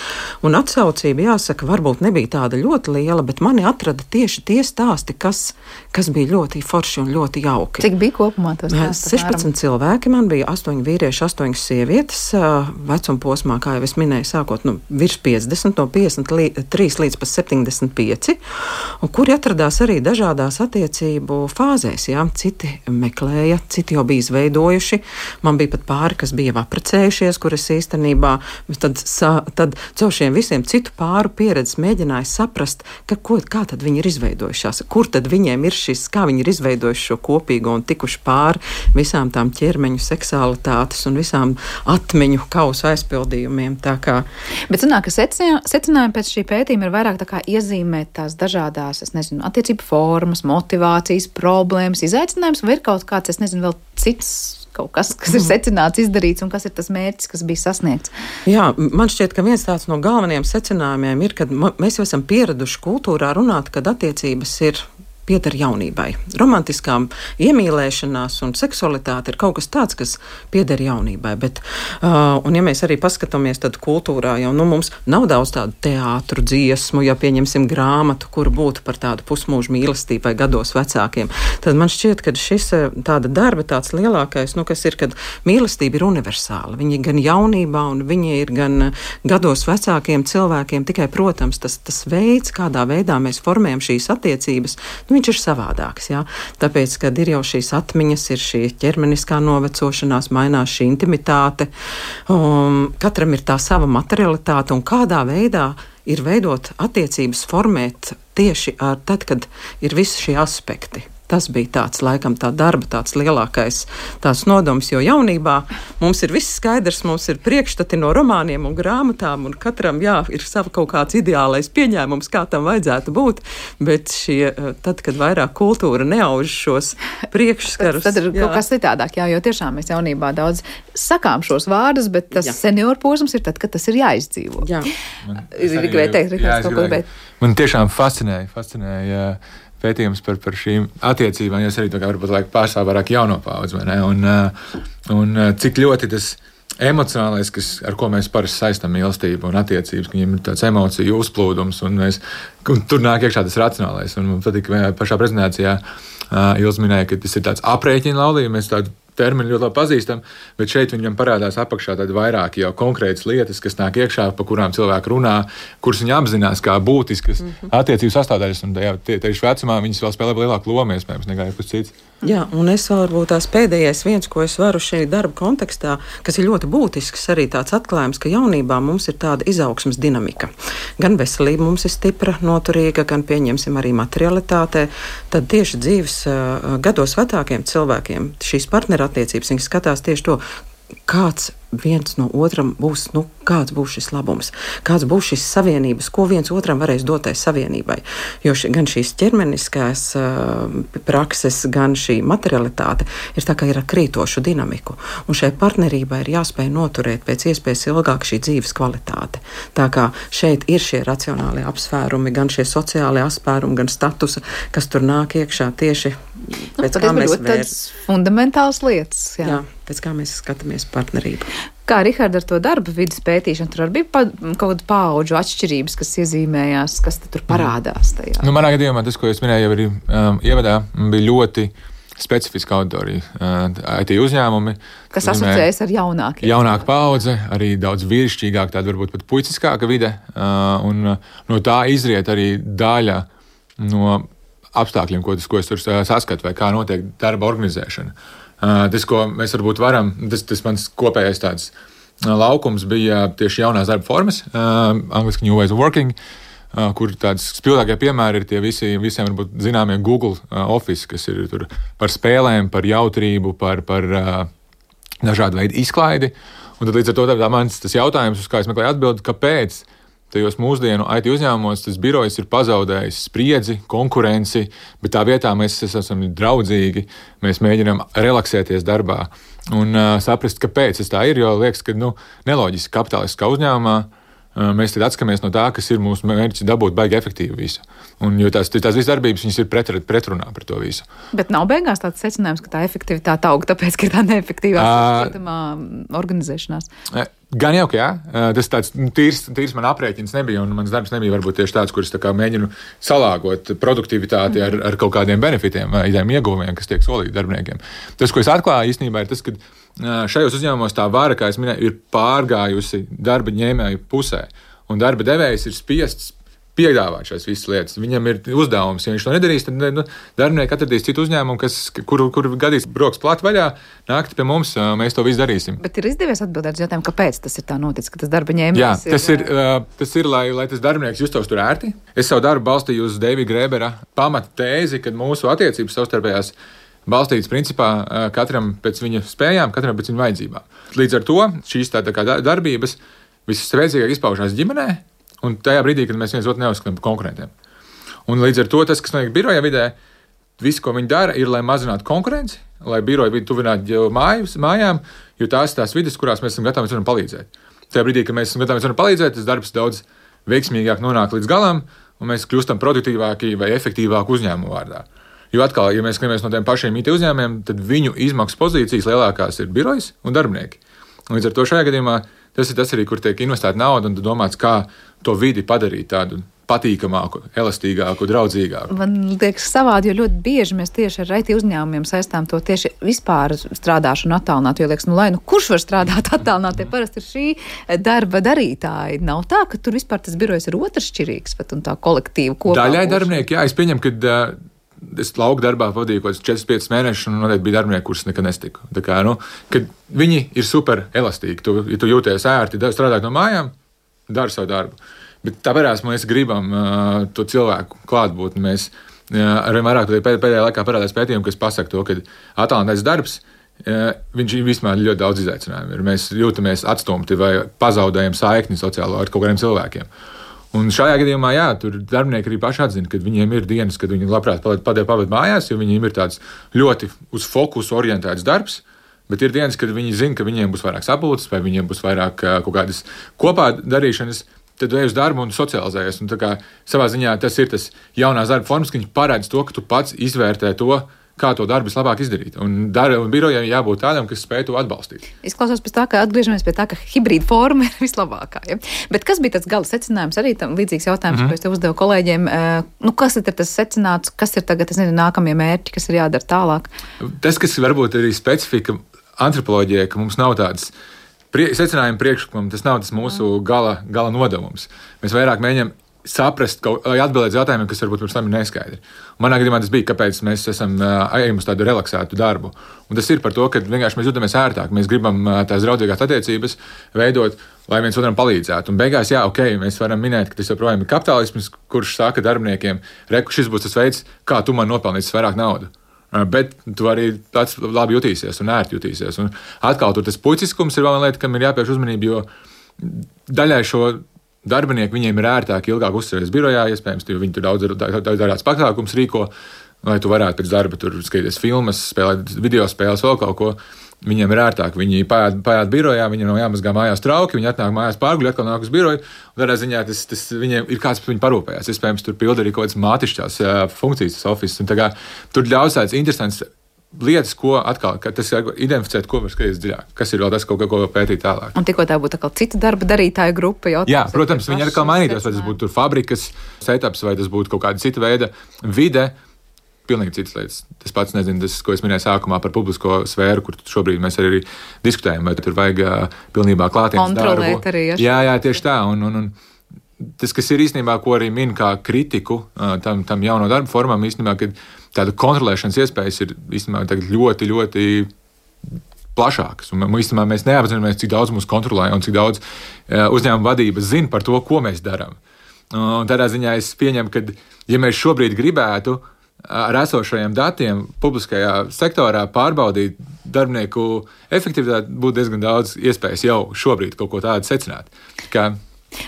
Un atsaucība, jāsaka, varbūt nebija tāda ļoti liela, bet man mani atrada tieši tie stāsti, kas, kas bija ļoti forši un ļoti jauki. Cik bija kopumā tos stāsti? sešpadsmit cilvēki, man bija astoņi vīrieši, astoņas sievietes, vecuma posmā, kā jau es minēju, sākot nu, virs piecdesmit, no piecdesmit trīs līdz pat septiņdesmit pieci, un kuri atradās arī dažādās attiecību fāzēs. Jā. Citi meklēja, citi jau bija izveidojuši, man bija pat pāri, kas bija apprecējušies, kuras īstenībā tad, tad caur šiem visiem citu pāru pieredzes mēģināja saprast, ka, ko, kā tad viņi ir izveidojušās, kur tad viņiem ir šis, kā viņi ir izveidojuši šo kopīgo un tikuši pāri visām tām ķermeņu seksualitātes un visām atmiņu kausu aizpildījumiem. Tā kā... Bet sanāk, ka secinājumi pēc šī pētījuma ir vairāk tā kā iezīmēt tās dažādās, es nezinu, attiecību formas, motivācijas, problēmas, izaicinājums, vai ir kaut kāds, es nezinu, vēl cits kaut kas, kas ir secināts, izdarīts un kas ir tas mērķis, kas bija sasniegts? Jā, man šķiet, ka viens tāds no galvenajiem secinājumiem ir, ka mēs jau esam pieraduši kultūrā runāt, kad attiecības ir pieder jaunībai. Romantiskām iemīlēšanās un seksualitāte ir kaut kas tāds, kas pieder jaunībai. Bet, uh, un ja mēs arī paskatāmies, tad kultūrā jau nu, mums nav daudz tādu teātru, dziesmu, ja pieņemsim grāmatu, kur būtu par tādu pusmūžu mīlestību vai gados vecākiem. Tad man šķiet, ka šis tāda darba tāds lielākais, nu, kas ir, kad mīlestība ir universāla. Viņi ir gan jaunībā un viņi ir gan gados vecākiem cilvēkiem. Tikai, protams, tas, tas veids, kādā veidā mēs formējam šīs attiecības, viņš ir savādāks, jā. Tāpēc, kad ir jau šīs atmiņas, ir šī ķermeniskā novecošanās, mainās šī intimitāte, um, katram ir tā sava materialitāte un kādā veidā ir veidot attiecības, formēt tieši ar tad, kad ir visi šie aspekti. Tas bija tāds, laikam, tā darba tāds lielākais tās nodoms, jo jaunībā mums ir viss skaidrs, mums ir priekšstati no romāniem un grāmatām, un katram, jā, ir sava kaut kāds ideālais pieņēmums, kā tam vajadzētu būt, bet šie, tad, kad vairāk kultūra neauž šos priekšskarus. Tad, tad ir jā. Kaut kas citādāk, jā, jo tiešām mēs jaunībā daudz sakām šos vārdus, bet tas jā. Senior posms ir tad, kad tas ir jāizdzīvo. Jā. Man, gribēju teikt, Rihards, kaut ko gribēt. Man tiešām fascinēja, fascinēja pētījums par, par šīm attiecībām, jo es arī tā kā varbūt laik pārstāv vairāk jauno paudzi, vai ne? Un, un cik ļoti tas emocionālais, kas, ar ko mēs parasti saistam mīlestību un attiecības, ka viņiem ir tāds emociju uzplūdums, un, mēs, un tur nāk iekšā tas racionālais. Un man patīk, ka pašā prezentācijā uh, Ilz minēja, ka tas ir tāds aprēķina laulība, mēs tādu termini ļoti labi pazīstam, bet šeit viņam parādās apakšā tādi vairāki jau konkrētas lietas, kas nāk iekšā, pa kurām cilvēki runā, kuras viņi apzinās kā būtiskas mm-hmm. attiecību sastāvdaļas, un tajā tieši vecumā viņas vēl spēlē lielāku lomu, iespējams, nekā jebkas cits. Jā, un es vēl varbūt tās pēdējais viens, ko es varu šī darba kontekstā, kas ir ļoti būtisks, arī tāds atklājums, ka jaunībā mums ir tāda izaugsmes dinamika. Gan veselība mums ir stipra, noturīga, gan pieņemsim arī materialitātē. Tad tieši dzīves uh, gados vecākiem cilvēkiem šīs partnerattiecības, viņi skatās tieši to, kāds viens no otram būs, nu, kāds būs šis labums, kāds būs šis savienības, ko viens otram varēs dotai savienībai. Jo ši, gan šīs ķermeniskās uh, prakses, gan šī materialitāte ir tā kā ir ar krītošu dinamiku. Un šai partnerībai ir jāspēj noturēt pēc iespējas ilgāk šī dzīves kvalitāte. Tā kā šeit ir šie racionālie apsvērumi, gan šie sociālie apsvērumi, gan statusa, kas tur nāk iekšā tieši pēc nu, kā mēs vērs. Fundamentāls lietas. Jā. jā, pēc kā mēs skatāmies partnerību. Kā Rihards ar to darba vidas pētīšanu, tur arī bija pa, kaut kāda paudžu atšķirības, kas iezīmējās, kas tur parādās tajā? Nu, manā gadījumā tas, ko es minēju jau arī um, ievadā, bija ļoti specifiska auditorija. I T uzņēmumi. Kas asociējas ar jaunākiem. Jaunāka paudze, arī daudz vīrišķīgāk, tāda varbūt pat puiciskāka vide. Un no tā izriet arī daļa no apstākļiem, ko, tas, ko es tur saskatu, vai kā notiek darba organizēšana. Tas, ko mēs varbūt varam, tas, tas mans kopējais tāds laukums bija tieši jaunās darba formas, angliski New Ways of Working, kur tāds spilgtākie piemēri ir tie visi, visiem varbūt zināmie Google Office, kas ir tur par spēlēm, par jautrību, par, par dažādu veidu izklaidi. Un tad līdz ar to tā mans tas jautājums, uz kā es meklēju atbildi, kāpēc tajos mūsdienu I T uzņēmumos tas birojs ir pazaudējis spriedzi, konkurenci, bet tā vietā mēs esam draudzīgi, mēs mēģinām relaksēties darbā un uh, saprast, kāpēc tas tā ir, jo liekas, ka nu, neloģiski kapitalistiskā uzņēmumā mēs tad atskamies no tā, kas ir mūsu mērķis dabūt baigi efektīvi visu. Un, jo tās, tās visas darbības, viņas ir pret, pretrunā par to visu. Bet nav beigās tāds secinājums, ka tā efektivitāte aug, tāpēc, ka ir tā neefektīvā šķietamā organizēšanās. Gan jau, ka jā. Tas tāds tīrs, tīrs man aprēķins nebija, un mans darbs nebija varbūt tieši tāds, kurš tā kā mēģinu salāgot produktivitāti ar, ar kaut kādiem benefitiem, idejiem ieguvumiem, kas tiek solīti darbiniekiem. Tas, ko es atklāju īstenībā, ir tas, ka šajos uzņēmumos tā vara, kā es minēju, ir pārgājusi darba ņēmēju pusē, un darba devējs ir spiests piedāvāt šīs visas lietas. Viņam ir uzdevums, ja viņš to nedarīs, tad nu, darbinieki atradīs citu uzņēmumu, kas, kur, kur gadīs broks plāt vaļā, nākt pie mums, mēs to visu darīsim. Bet ir izdevies atbildēt uz jautājumu, kāpēc tas ir tā noticis, ka tas darba ņēmējs Jā, tas ir, ir, tas ir lai, lai tas darbinieks justos tur ērti. Es savu darbu balstīju uz Davida Grēbera pamata tēzi, kad mūsu attiecības savstarpējās balstīts principā katram pēc viņa spējām, katram pēc viņa vajadzībām. Līdz ar to šīs tā, tā kā darbības visspēcīgāk izpaužās ģimenē, un tajā brīdī, kad mēs viens otru neuzskatām par konkurentiem. Un līdz ar to tas, kas notiek biroja vidē, viss, ko viņi dara, ir, lai mazinātu konkurenci, lai biroja vidi tuvinātu mājas, mājām, jo tās tās vides, kurās mēs esam gatavi varam palīdzēt. Tajā brīdī, kad mēs esam gatavi varam palīdzēt, tas darbs daudz veiksmīgāk nonāk līdz galam, un mēs kļūstam produktīvāki vai efektīvāki uzņēmumu vārdā. Jo atkal, ja mēs skatāmies no tiem pašiem I T uzņēmumiem, tad viņu izmaksu pozīcijas lielākās ir birojas un darbinieki. Un līdz ar to šajā gadījumā tas ir tas arī, kur tiek investēta nauda un domāts, kā to vidi padarīt tādu patīkamāku, elastīgāku, draudzīgāku. Man liekas savādi, jo ļoti bieži mēs tieši ar I T uzņēmumiem saistām to tieši vispār strādāšanu attālināt, jo liekas, nu lai, nu kurš var strādāt attālināt, tie parasti ir šī darba darītāji. Nav tā, ka tur vispār tas birojs ir otršķirīgs, pat un tā kolektīva kopā. Daļai darbinieki, jā, es pieņemu, ka es lauku darbā pavadīju kaut kādus četrus piecus mēnešus, un noteikti bija darbinieki, kurus nekad nestiku. Tā kā, nu, kad viņi ir super elastīgi, tu, ja tu jūties ērti, strādāt no mājām, dari savu darbu. Bet tāpēc mēs gribam uh, to cilvēku klātbūtni. Mēs uh, arvien vairāk pēdējā laikā parādās pētījumi, kas pasaka to, ka attālinātais darbs, uh, viņš vispār ļoti daudz izaicinājumu ir. Mēs jūtamies atstumti vai pazaudējam saikni sociālo ar kaut kādiem cilvēkiem. Un šajā gadījumā, jā, tur darbinieki arī paši atzina, ka viņiem ir dienas, kad viņi labprāt pavadīt mājās, jo viņiem ir tāds ļoti uz fokusu orientēts darbs, bet ir dienas, kad viņi zina, ka viņiem būs vairāk sapulces vai viņiem būs vairāk kaut kādas kopā darīšanas, tad ej uz darbu un socializējies. Un tā kā savā ziņā tas ir tas jaunās darba formas, ka viņi parāda to, ka tu pats izvērtē to, kā to darbu vislabāk izdarīt. Un, dar, un birojai jābūt tādam, kas spēj to atbalstīt. Izklausās pēc tā, ka atgriežamies pie tā, ka hibrīda forma ir vislabākā. Ja? Bet kas bija tas gala secinājums? Arī tam līdzīgs jautājums, mm-hmm. ko es te uzdevu kolēģiem. Nu, kas ir tas secināts, kas ir tagad, es nezinu, nākamie mērķi, kas ir jādara tālāk? Tas, kas varbūt arī specifika antropoloģijai, ka mums nav tāds prie, secinājuma priekšlikuma, tas nav tas mūsu gala, gala nodevums. Mēs vairāk mēģinām saprast, lai atbildētu uz jautājumiem, kas varbūt pirms tam ir neskaidri. Un manā gadījumā tas bija, kāpēc mēs esam ejam uz tādu relaksētu darbu. Un tas ir par to, ka vienkārši mēs jūtamies ērtāk. Mēs gribam tās draudzīgās attiecības veidot, lai viens otram palīdzētu. Un beigās, jā, ok, mēs varam minēt, ka tas joprojām ir kapitālisms, kurš saka darbiniekiem, reku, šis būs tas veids, kā tu man nopelnīsi vairāk naudu. Bet tu arī tāds labi jutīsies un ērti jutīsies. Un atkal tur tas puiciskums ir vēl viena lieta, kam ir jāpievērš uzmanība, jo daļai šo darbinieki, viņiem ir ērtāk ilgāk uzturēties birojā, iespējams, jo viņi tur daudz dažādas pasākumus rīko, lai tu varētu pēc darba tur skatīties filmas, spēlēt video spēles, vēl kaut ko. Viņiem ir ērtāk, viņi paiet, paiet birojā, viņiem nav jāmazgā mājās trauki, viņi atnāk mājās pārguļ, atkal nāk uz biroju, un tādā ziņā tas, tas viņiem ir kāds par viņu parūpējās. Iespējams, tur pilda arī kaut kādas mātišķās funkcijas, tas office, un tā kā tur ļaus tāds interesants lietas, ko atkal, tas ir identificēt, ko var skatīties dziļāk, kas ir vēl tas, ko, ko pētīt tālāk. Un tikko tā būtu atkal cita darba darītāja grupa, jautājums. Jā, protams, viņi atkal mainītos, vai tas būtu tur fabrikas setups, vai tas būtu kaut kāda cita veida vide. pilnīgi citas lietas. Tas pats, nezinu, tas, ko es minēju sākumā par publisko sfēru, kur šobrīd mēs arī diskutējam, vai tur vajag pilnībā klātienes darbu. Kontrolēt arī. Ja? Jā, jā, tieši tā. Un, un, un tas, kas ir īstenībā, ko arī min kā kritiku tam, tam jauno darbu formām, īstenībā, ka tāda kontrolēšanas iespējas ir īstenībā tagad ļoti, ļoti plašākas. Un īstenībā mēs neapzināmies, cik daudz mūs kontrolē un cik daudz uzņēmuma vadības zina par to, ko mēs darām. Un tādā ziņā es pieņemu, ka, ja mēs šobrīd gribētu ar esošajiem datiem publiskajā sektorā pārbaudīt darbinieku efektivitāti, būtu diezgan daudz iespējas jau šobrīd kaut ko tādu secināt. Kā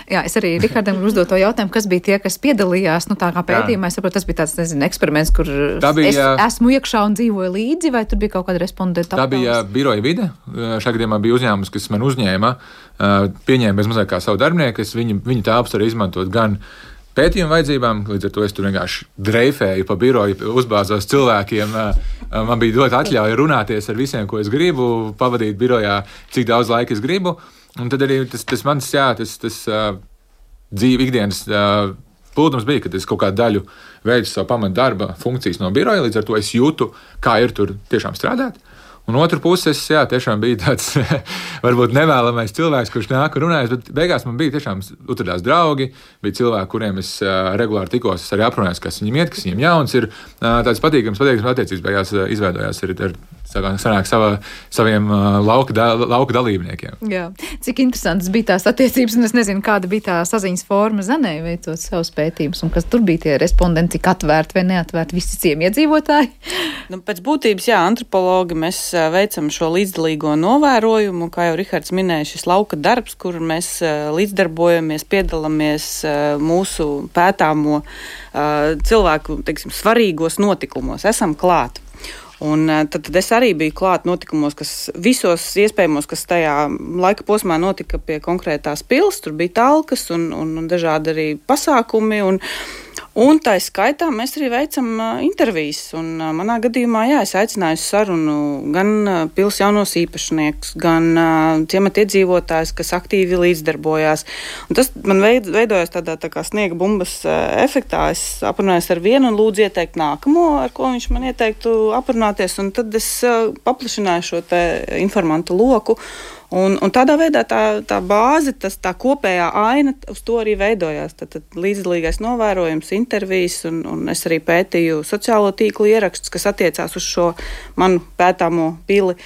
Jā, es arī Rihardam uzdot to jautājumu, kas bija tie, kas piedalījās, nu tā kā pētījumā, es saprotu, tas bija tāds, nezinu, eksperiments, kur bija, es esmu iekšā un dzīvoju līdzi, vai tur bija kaut kāda respondenta aptaujas? Tā bija biroja vide. Šā gadījumā bija uzņēmums, kas man uzņēma, pieņēma bez mazāk kā savu darbinieku, es viņu, viņu tāpus arī izmantot gan pētījumu vajadzībām, līdz ar to es tur vienkārši dreifēju pa biroju, uzbāzos cilvēkiem, man bija dot atļauju runāties ar visiem, ko es gribu, pavadīt birojā, cik daudz laika es gribu. Un tad arī tas, tas mans, jā, tas, tas uh, dzīve ikdienas uh, plūdums bija, kad es kaut kādu daļu veidu savu pamatu darba funkcijas no biroja, līdz ar to es jūtu, kā ir tur tiešām strādāt. Un otru puses, jā, tiešām bija tāds varbūt nevēlamais cilvēks, kurš nāk un runājas, bet beigās man bija tiešām utradās draugi, bija cilvēki, kuriem es uh, regulāri tikos, es arī aprunājos, kas viņiem iet, kas viņiem jauns ir, uh, tāds patīkams, patīkams attiecības beigās uh, izveidojās ar, ar sanāk savā, saviem uh, lauka, da, lauka dalībniekiem. Jā, cik interesantas bija tās attiecības, un es nezinu, kāda bija tā saziņas forma Zanei veicot savus pētījumus, un kas tur bija tie respondenti, cik atvērti vai neatvērti visi ciemiedzīvotāji? Nu, pēc būtības, jā, antropologi mēs veicam šo līdzdalīgo novērojumu, kā jau Rihards minēja, šis lauka darbs, kur mēs līdzdarbojamies, piedalāmies mūsu pētāmo cilvēku, teiksim, svarīgos notikumos, esam klāt. Un tad, tad es arī biju klāt notikumos, kas visos iespējamos, kas tajā laika posmā notika pie konkrētās pils, tur bija talkas un, un, un dažādi arī pasākumi, un, un tā skaitā mēs arī veicam uh, intervijas, un uh, manā gadījumā, jā, es aicināju sarunu gan uh, pils jaunos īpašniekus, gan uh, ciemata iedzīvotājus, kas aktīvi līdzdarbojās, un tas man veid, veidojas tādā tā kā sniega bumbas uh, efektā, es aprunājos ar vienu un lūdzu ieteikt nākamo, ar ko viņš man ieteiktu aprunāties, un tad es uh, paplašināju šo te informantu loku, Un, un tādā veidā tā, tā bāze, tas, tā kopējā aina uz to arī veidojās. Tad, tad līdzdalīgais novērojums, intervijas, un, un es arī pētīju sociālo tīklu ierakstus, kas attiecās uz šo manu pētāmo pili.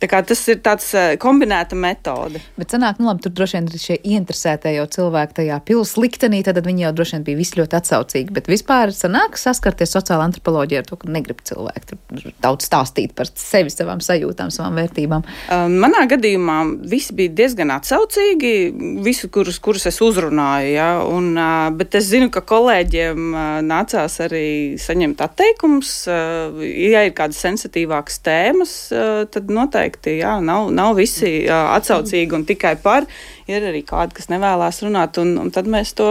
Tā kā tas ir tāds kombinēta metode. Bet sanāk, nu labi, tur droši vien ir šie ieinteresētie jau cilvēki tajā pils liktenī, tad viņi jau droši vien bija visi ļoti atsaucīgi. Bet vispār sanāk saskarties sociāla antropoloģija ar to, ka negrib cilvēki tur daudz stāstīt par sevi, savām sajūtām, savām vērtībām. Manā gadījumā visi bija diezgan atsaucīgi, visi, kurus, kurus es uzrunāju, ja, un, bet es zinu, ka kolēģiem nācās arī saņemt atteikums. Ja ir kādas sensitīvākas tēmas, tad noteikti Jā, nav, nav visi jā, atsaucīgi un tikai par, ir arī kādi, kas nevēlās runāt, un, un tad mēs to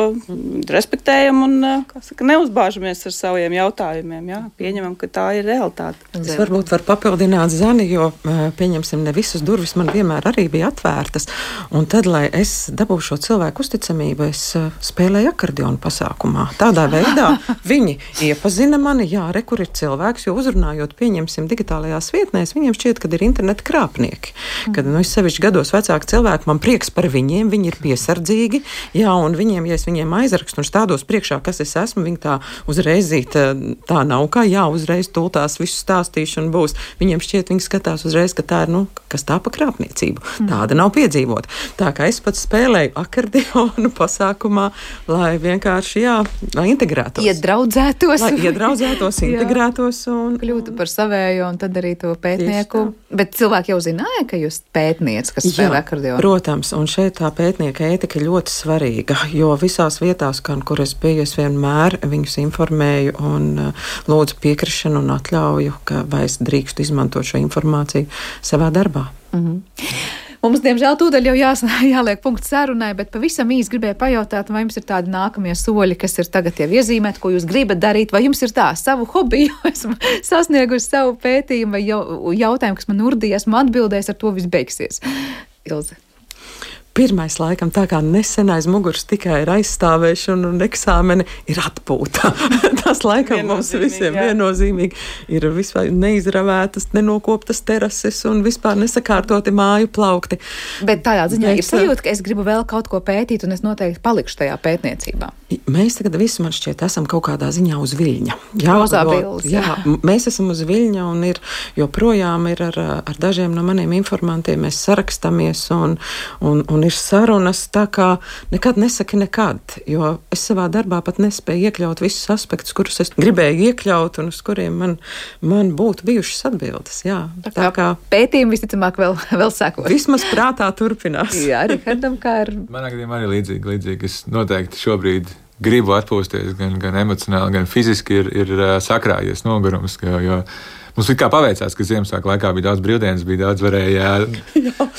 respektējam un, kā saka, neuzbāžamies ar saviem jautājumiem, jā, pieņemam, ka tā ir realitāte. Es varbūt varu papildināt Zani, jo, pieņemsim, ne visas durvis man vienmēr arī bija atvērtas, un tad, lai es dabūšu šo cilvēku uzticamību, es spēlēju akordeonu pasākumā. Tādā veidā viņi iepazina mani, jā, re, kur ir cilvēks, jo uzrunājot, pieņemsim, digitālajās vietnēs, viņiem šķiet, kad ir interneta krāpnieki. Kad, nu, es sevišķi gados vecāki cilvēki, man prieks par viņiem, viņi ir piesardzīgi, jā, un viņiem, ja es viņiem aizrakstu un stādos priekšā, kas es esmu, viņi tā uzreizīt, tā nav kā, jā, uzreiz tultās visu stāstīšanu būs. Viņiem šķiet, viņi skatās uzreiz, ka tā ir, nu, kas tā pa krāpniecību. Tāda nav piedzīvot. Tā kā es pats spēlēju akordeonu pasākumā, lai vienkārši, jā, lai integrētos. Iedraudzētos. Lai iedraudzētos, integrētos un kļūtu par savējo un tad arī to pētnieku. Bet cilvēki jau zināja, ka jūs pētniec, kas spēlē akordeonu. Protams, un šeit tā pētnieka ētika ļoti svarīga, jo visās vietās, kan, kur es biju, es vienmēr viņus informēju un uh, lūdzu piekrišanu un atļauju, ka vai es drīkstu izmantot šo informāciju savā darbā. Mm-hmm. Mums, diemžēl, tūdaļ jau jās, jāliek punkts sarunai, bet pavisam īsi gribēju pajautāt, vai jums ir tādi nākamie soļi, kas ir tagad jau iezīmēti, ko jūs gribat darīt, vai jums ir tā savu hobiju, esmu sasniegusi savu pētījumu vai jau, jautājumu, kas man urdīja, esmu atbildējis, ar to viss beigsies. Ilze. pirmais laikam tā kā nesen aiz muguras tikai ir aizstāvēšana un eksāmeni ir atpūta. Tas laikam mums visiem jā. Viennozīmīgi ir vispār neizravētas, nenokoptas terases un vispār nesakārtoti māju plaukti. Bet tādā ziņā ir sajūta, ka es gribu vēl kaut ko pētīt un es noteikti palikšu tajā pētniecībā. Mēs tagad visi, man šķiet, esam kaut kādā ziņā uz viļņa. Jā, Rozā jo, bildes, jā, jā. Mēs esam uz viļņa un ir joprojām ir ar, ar dažiem no maniem informantiem mēs sarakstamies un, un, un ir sarunas tā kā nekad nesaki nekad, jo es savā darbā pat nespēju iekļaut visus aspektus, kurus es gribēju iekļaut un uz kuriem man, man būtu bijušas atbildes. Jā, tā, tā kā pētījumi visticamāk vēl, vēl sekos. Vismaz prātā turpinās. Jā, Rihardam, kā ir. Manā gadījumā arī līdzīgi, līdzīgi. Es noteikti šobrīd gribu atpūsties gan, gan emocionāli, gan fiziski ir, ir sakrājies nogurums, jo, jo mums kā paveicās, ka Ziemassvētku laikā bija daudz brīvdienas, bija daudz varēja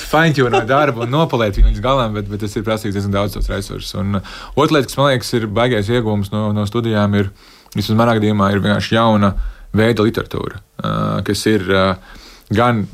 fine-tunēt darbu un nopalēt viņu līdz galam, bet, bet tas ir prasīgs diezgan daudz tos resursus. Un otra lieta, kas man liekas ir baigais iegūms no, no studijām, ir, vismaz manā gadījumā, ir vienkārši jauna veida literatūra, kas ir gan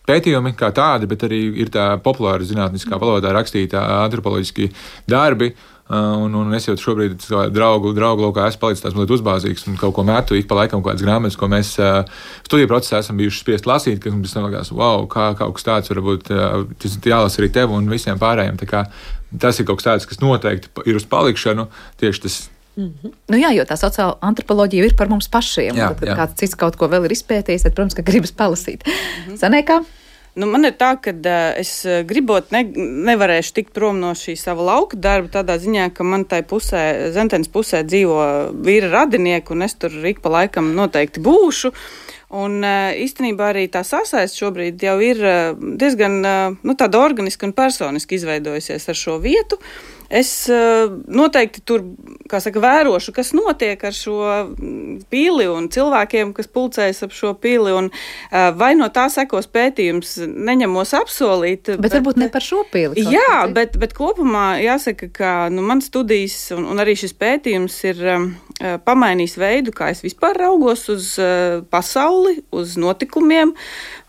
pētījumi kā tādi, bet arī ir tā populāra zinātniskā valodā rakstītā antropoloģiski darbi. Un, un es jau šobrīd draugu, draugu lokā esmu palicis tās mazliet uzbāzīgs un kaut ko metu ik pa laikam kādas grāmatas, ko mēs uh, studiju procesā esam bijuši spiest lasīt, kas mums likās, wow, kā kaut kas tāds varbūt uh, tas jālasa arī tev un visiem pārējiem. Tā kā tas ir kaut kas tāds, kas noteikti ir uz palikšanu, tieši tas. Mm-hmm. Nu jā, jo tā sociāla antropoloģija ir par mums pašiem. Jā, tad, kad jā. Kāds cits kaut ko vēl ir izpētījis, tad, protams, ka gribas palasīt. Mm-hmm. Sanēkā? Nu, man ir tā, ka uh, es gribot ne, nevarēšu tikt prom no šī sava lauka darba tādā ziņā, ka man tai pusē, Zentenes pusē dzīvo vīra radinieki, un es tur ik pa laikam noteikti būšu. Un uh, īstenībā arī tā sasaiste šobrīd jau ir uh, diezgan uh, nu, tāda organiska un personiski izveidojusies ar šo vietu. Es uh, noteikti tur, kā saka, vērošu, kas notiek ar šo pili un cilvēkiem, kas pulcējas ap šo pili, un uh, vai no tā sekos pētījums, neņemos apsolīt. Bet, bet varbūt ne par šo pili. Jā, bet, bet kopumā jāsaka, ka nu, man studijas un, un arī šis pētījums ir um, pamainījis veidu, kā es vispār raugos uz uh, pasauli, uz notikumiem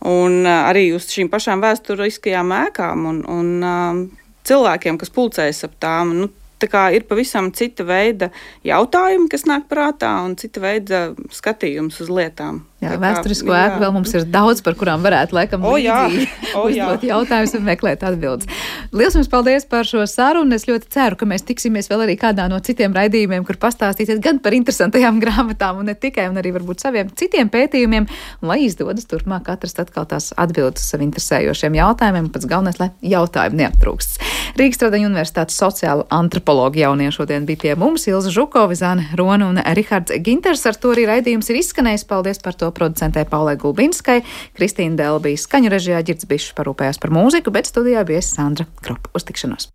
un uh, arī uz šīm pašām vēsturiskajām ēkām un, un uh, cilvēkiem, kas pulcējas ap tām. Nu, tā kā ir pavisam cita veida jautājumi, kas nāk prātā, un cita veida skatījums uz lietām. Jā, vēsturisko ēku vēl mums ir daudz, par kurām varētu laikam o, līdzīgi o, uzdot jautājumus un meklēt atbildes. Liels jums paldies par šo sarunu. Es ļoti ceru, ka mēs tiksimies vēl arī kādā no citiem raidījumiem, kur pastāstīsiet gan par interesantajām grāmatām un ne tikai, un arī varbūt saviem citiem pētījumiem, un lai izdodas turpmāk atrast atkal tās atbildes uz sev interesējošiem jautājumiem, un pats galvenais, lai jautājumi neaptrūkst. Rīgas Tradiņu Universitātes sociāla antropologa jaunie šodien bija pie mums, Ilza Žukova, Zane Rona un Rihards Ginters. Ar to arī raidījums ir izskanējis. Paldies par to producentē Paulai Gulbinskai, Kristīna Dēla bija skaņu režijā, Ģirds Bišs parūpējās par mūziku, bet studijā bija Sandra Kropa. Uz tikšanos!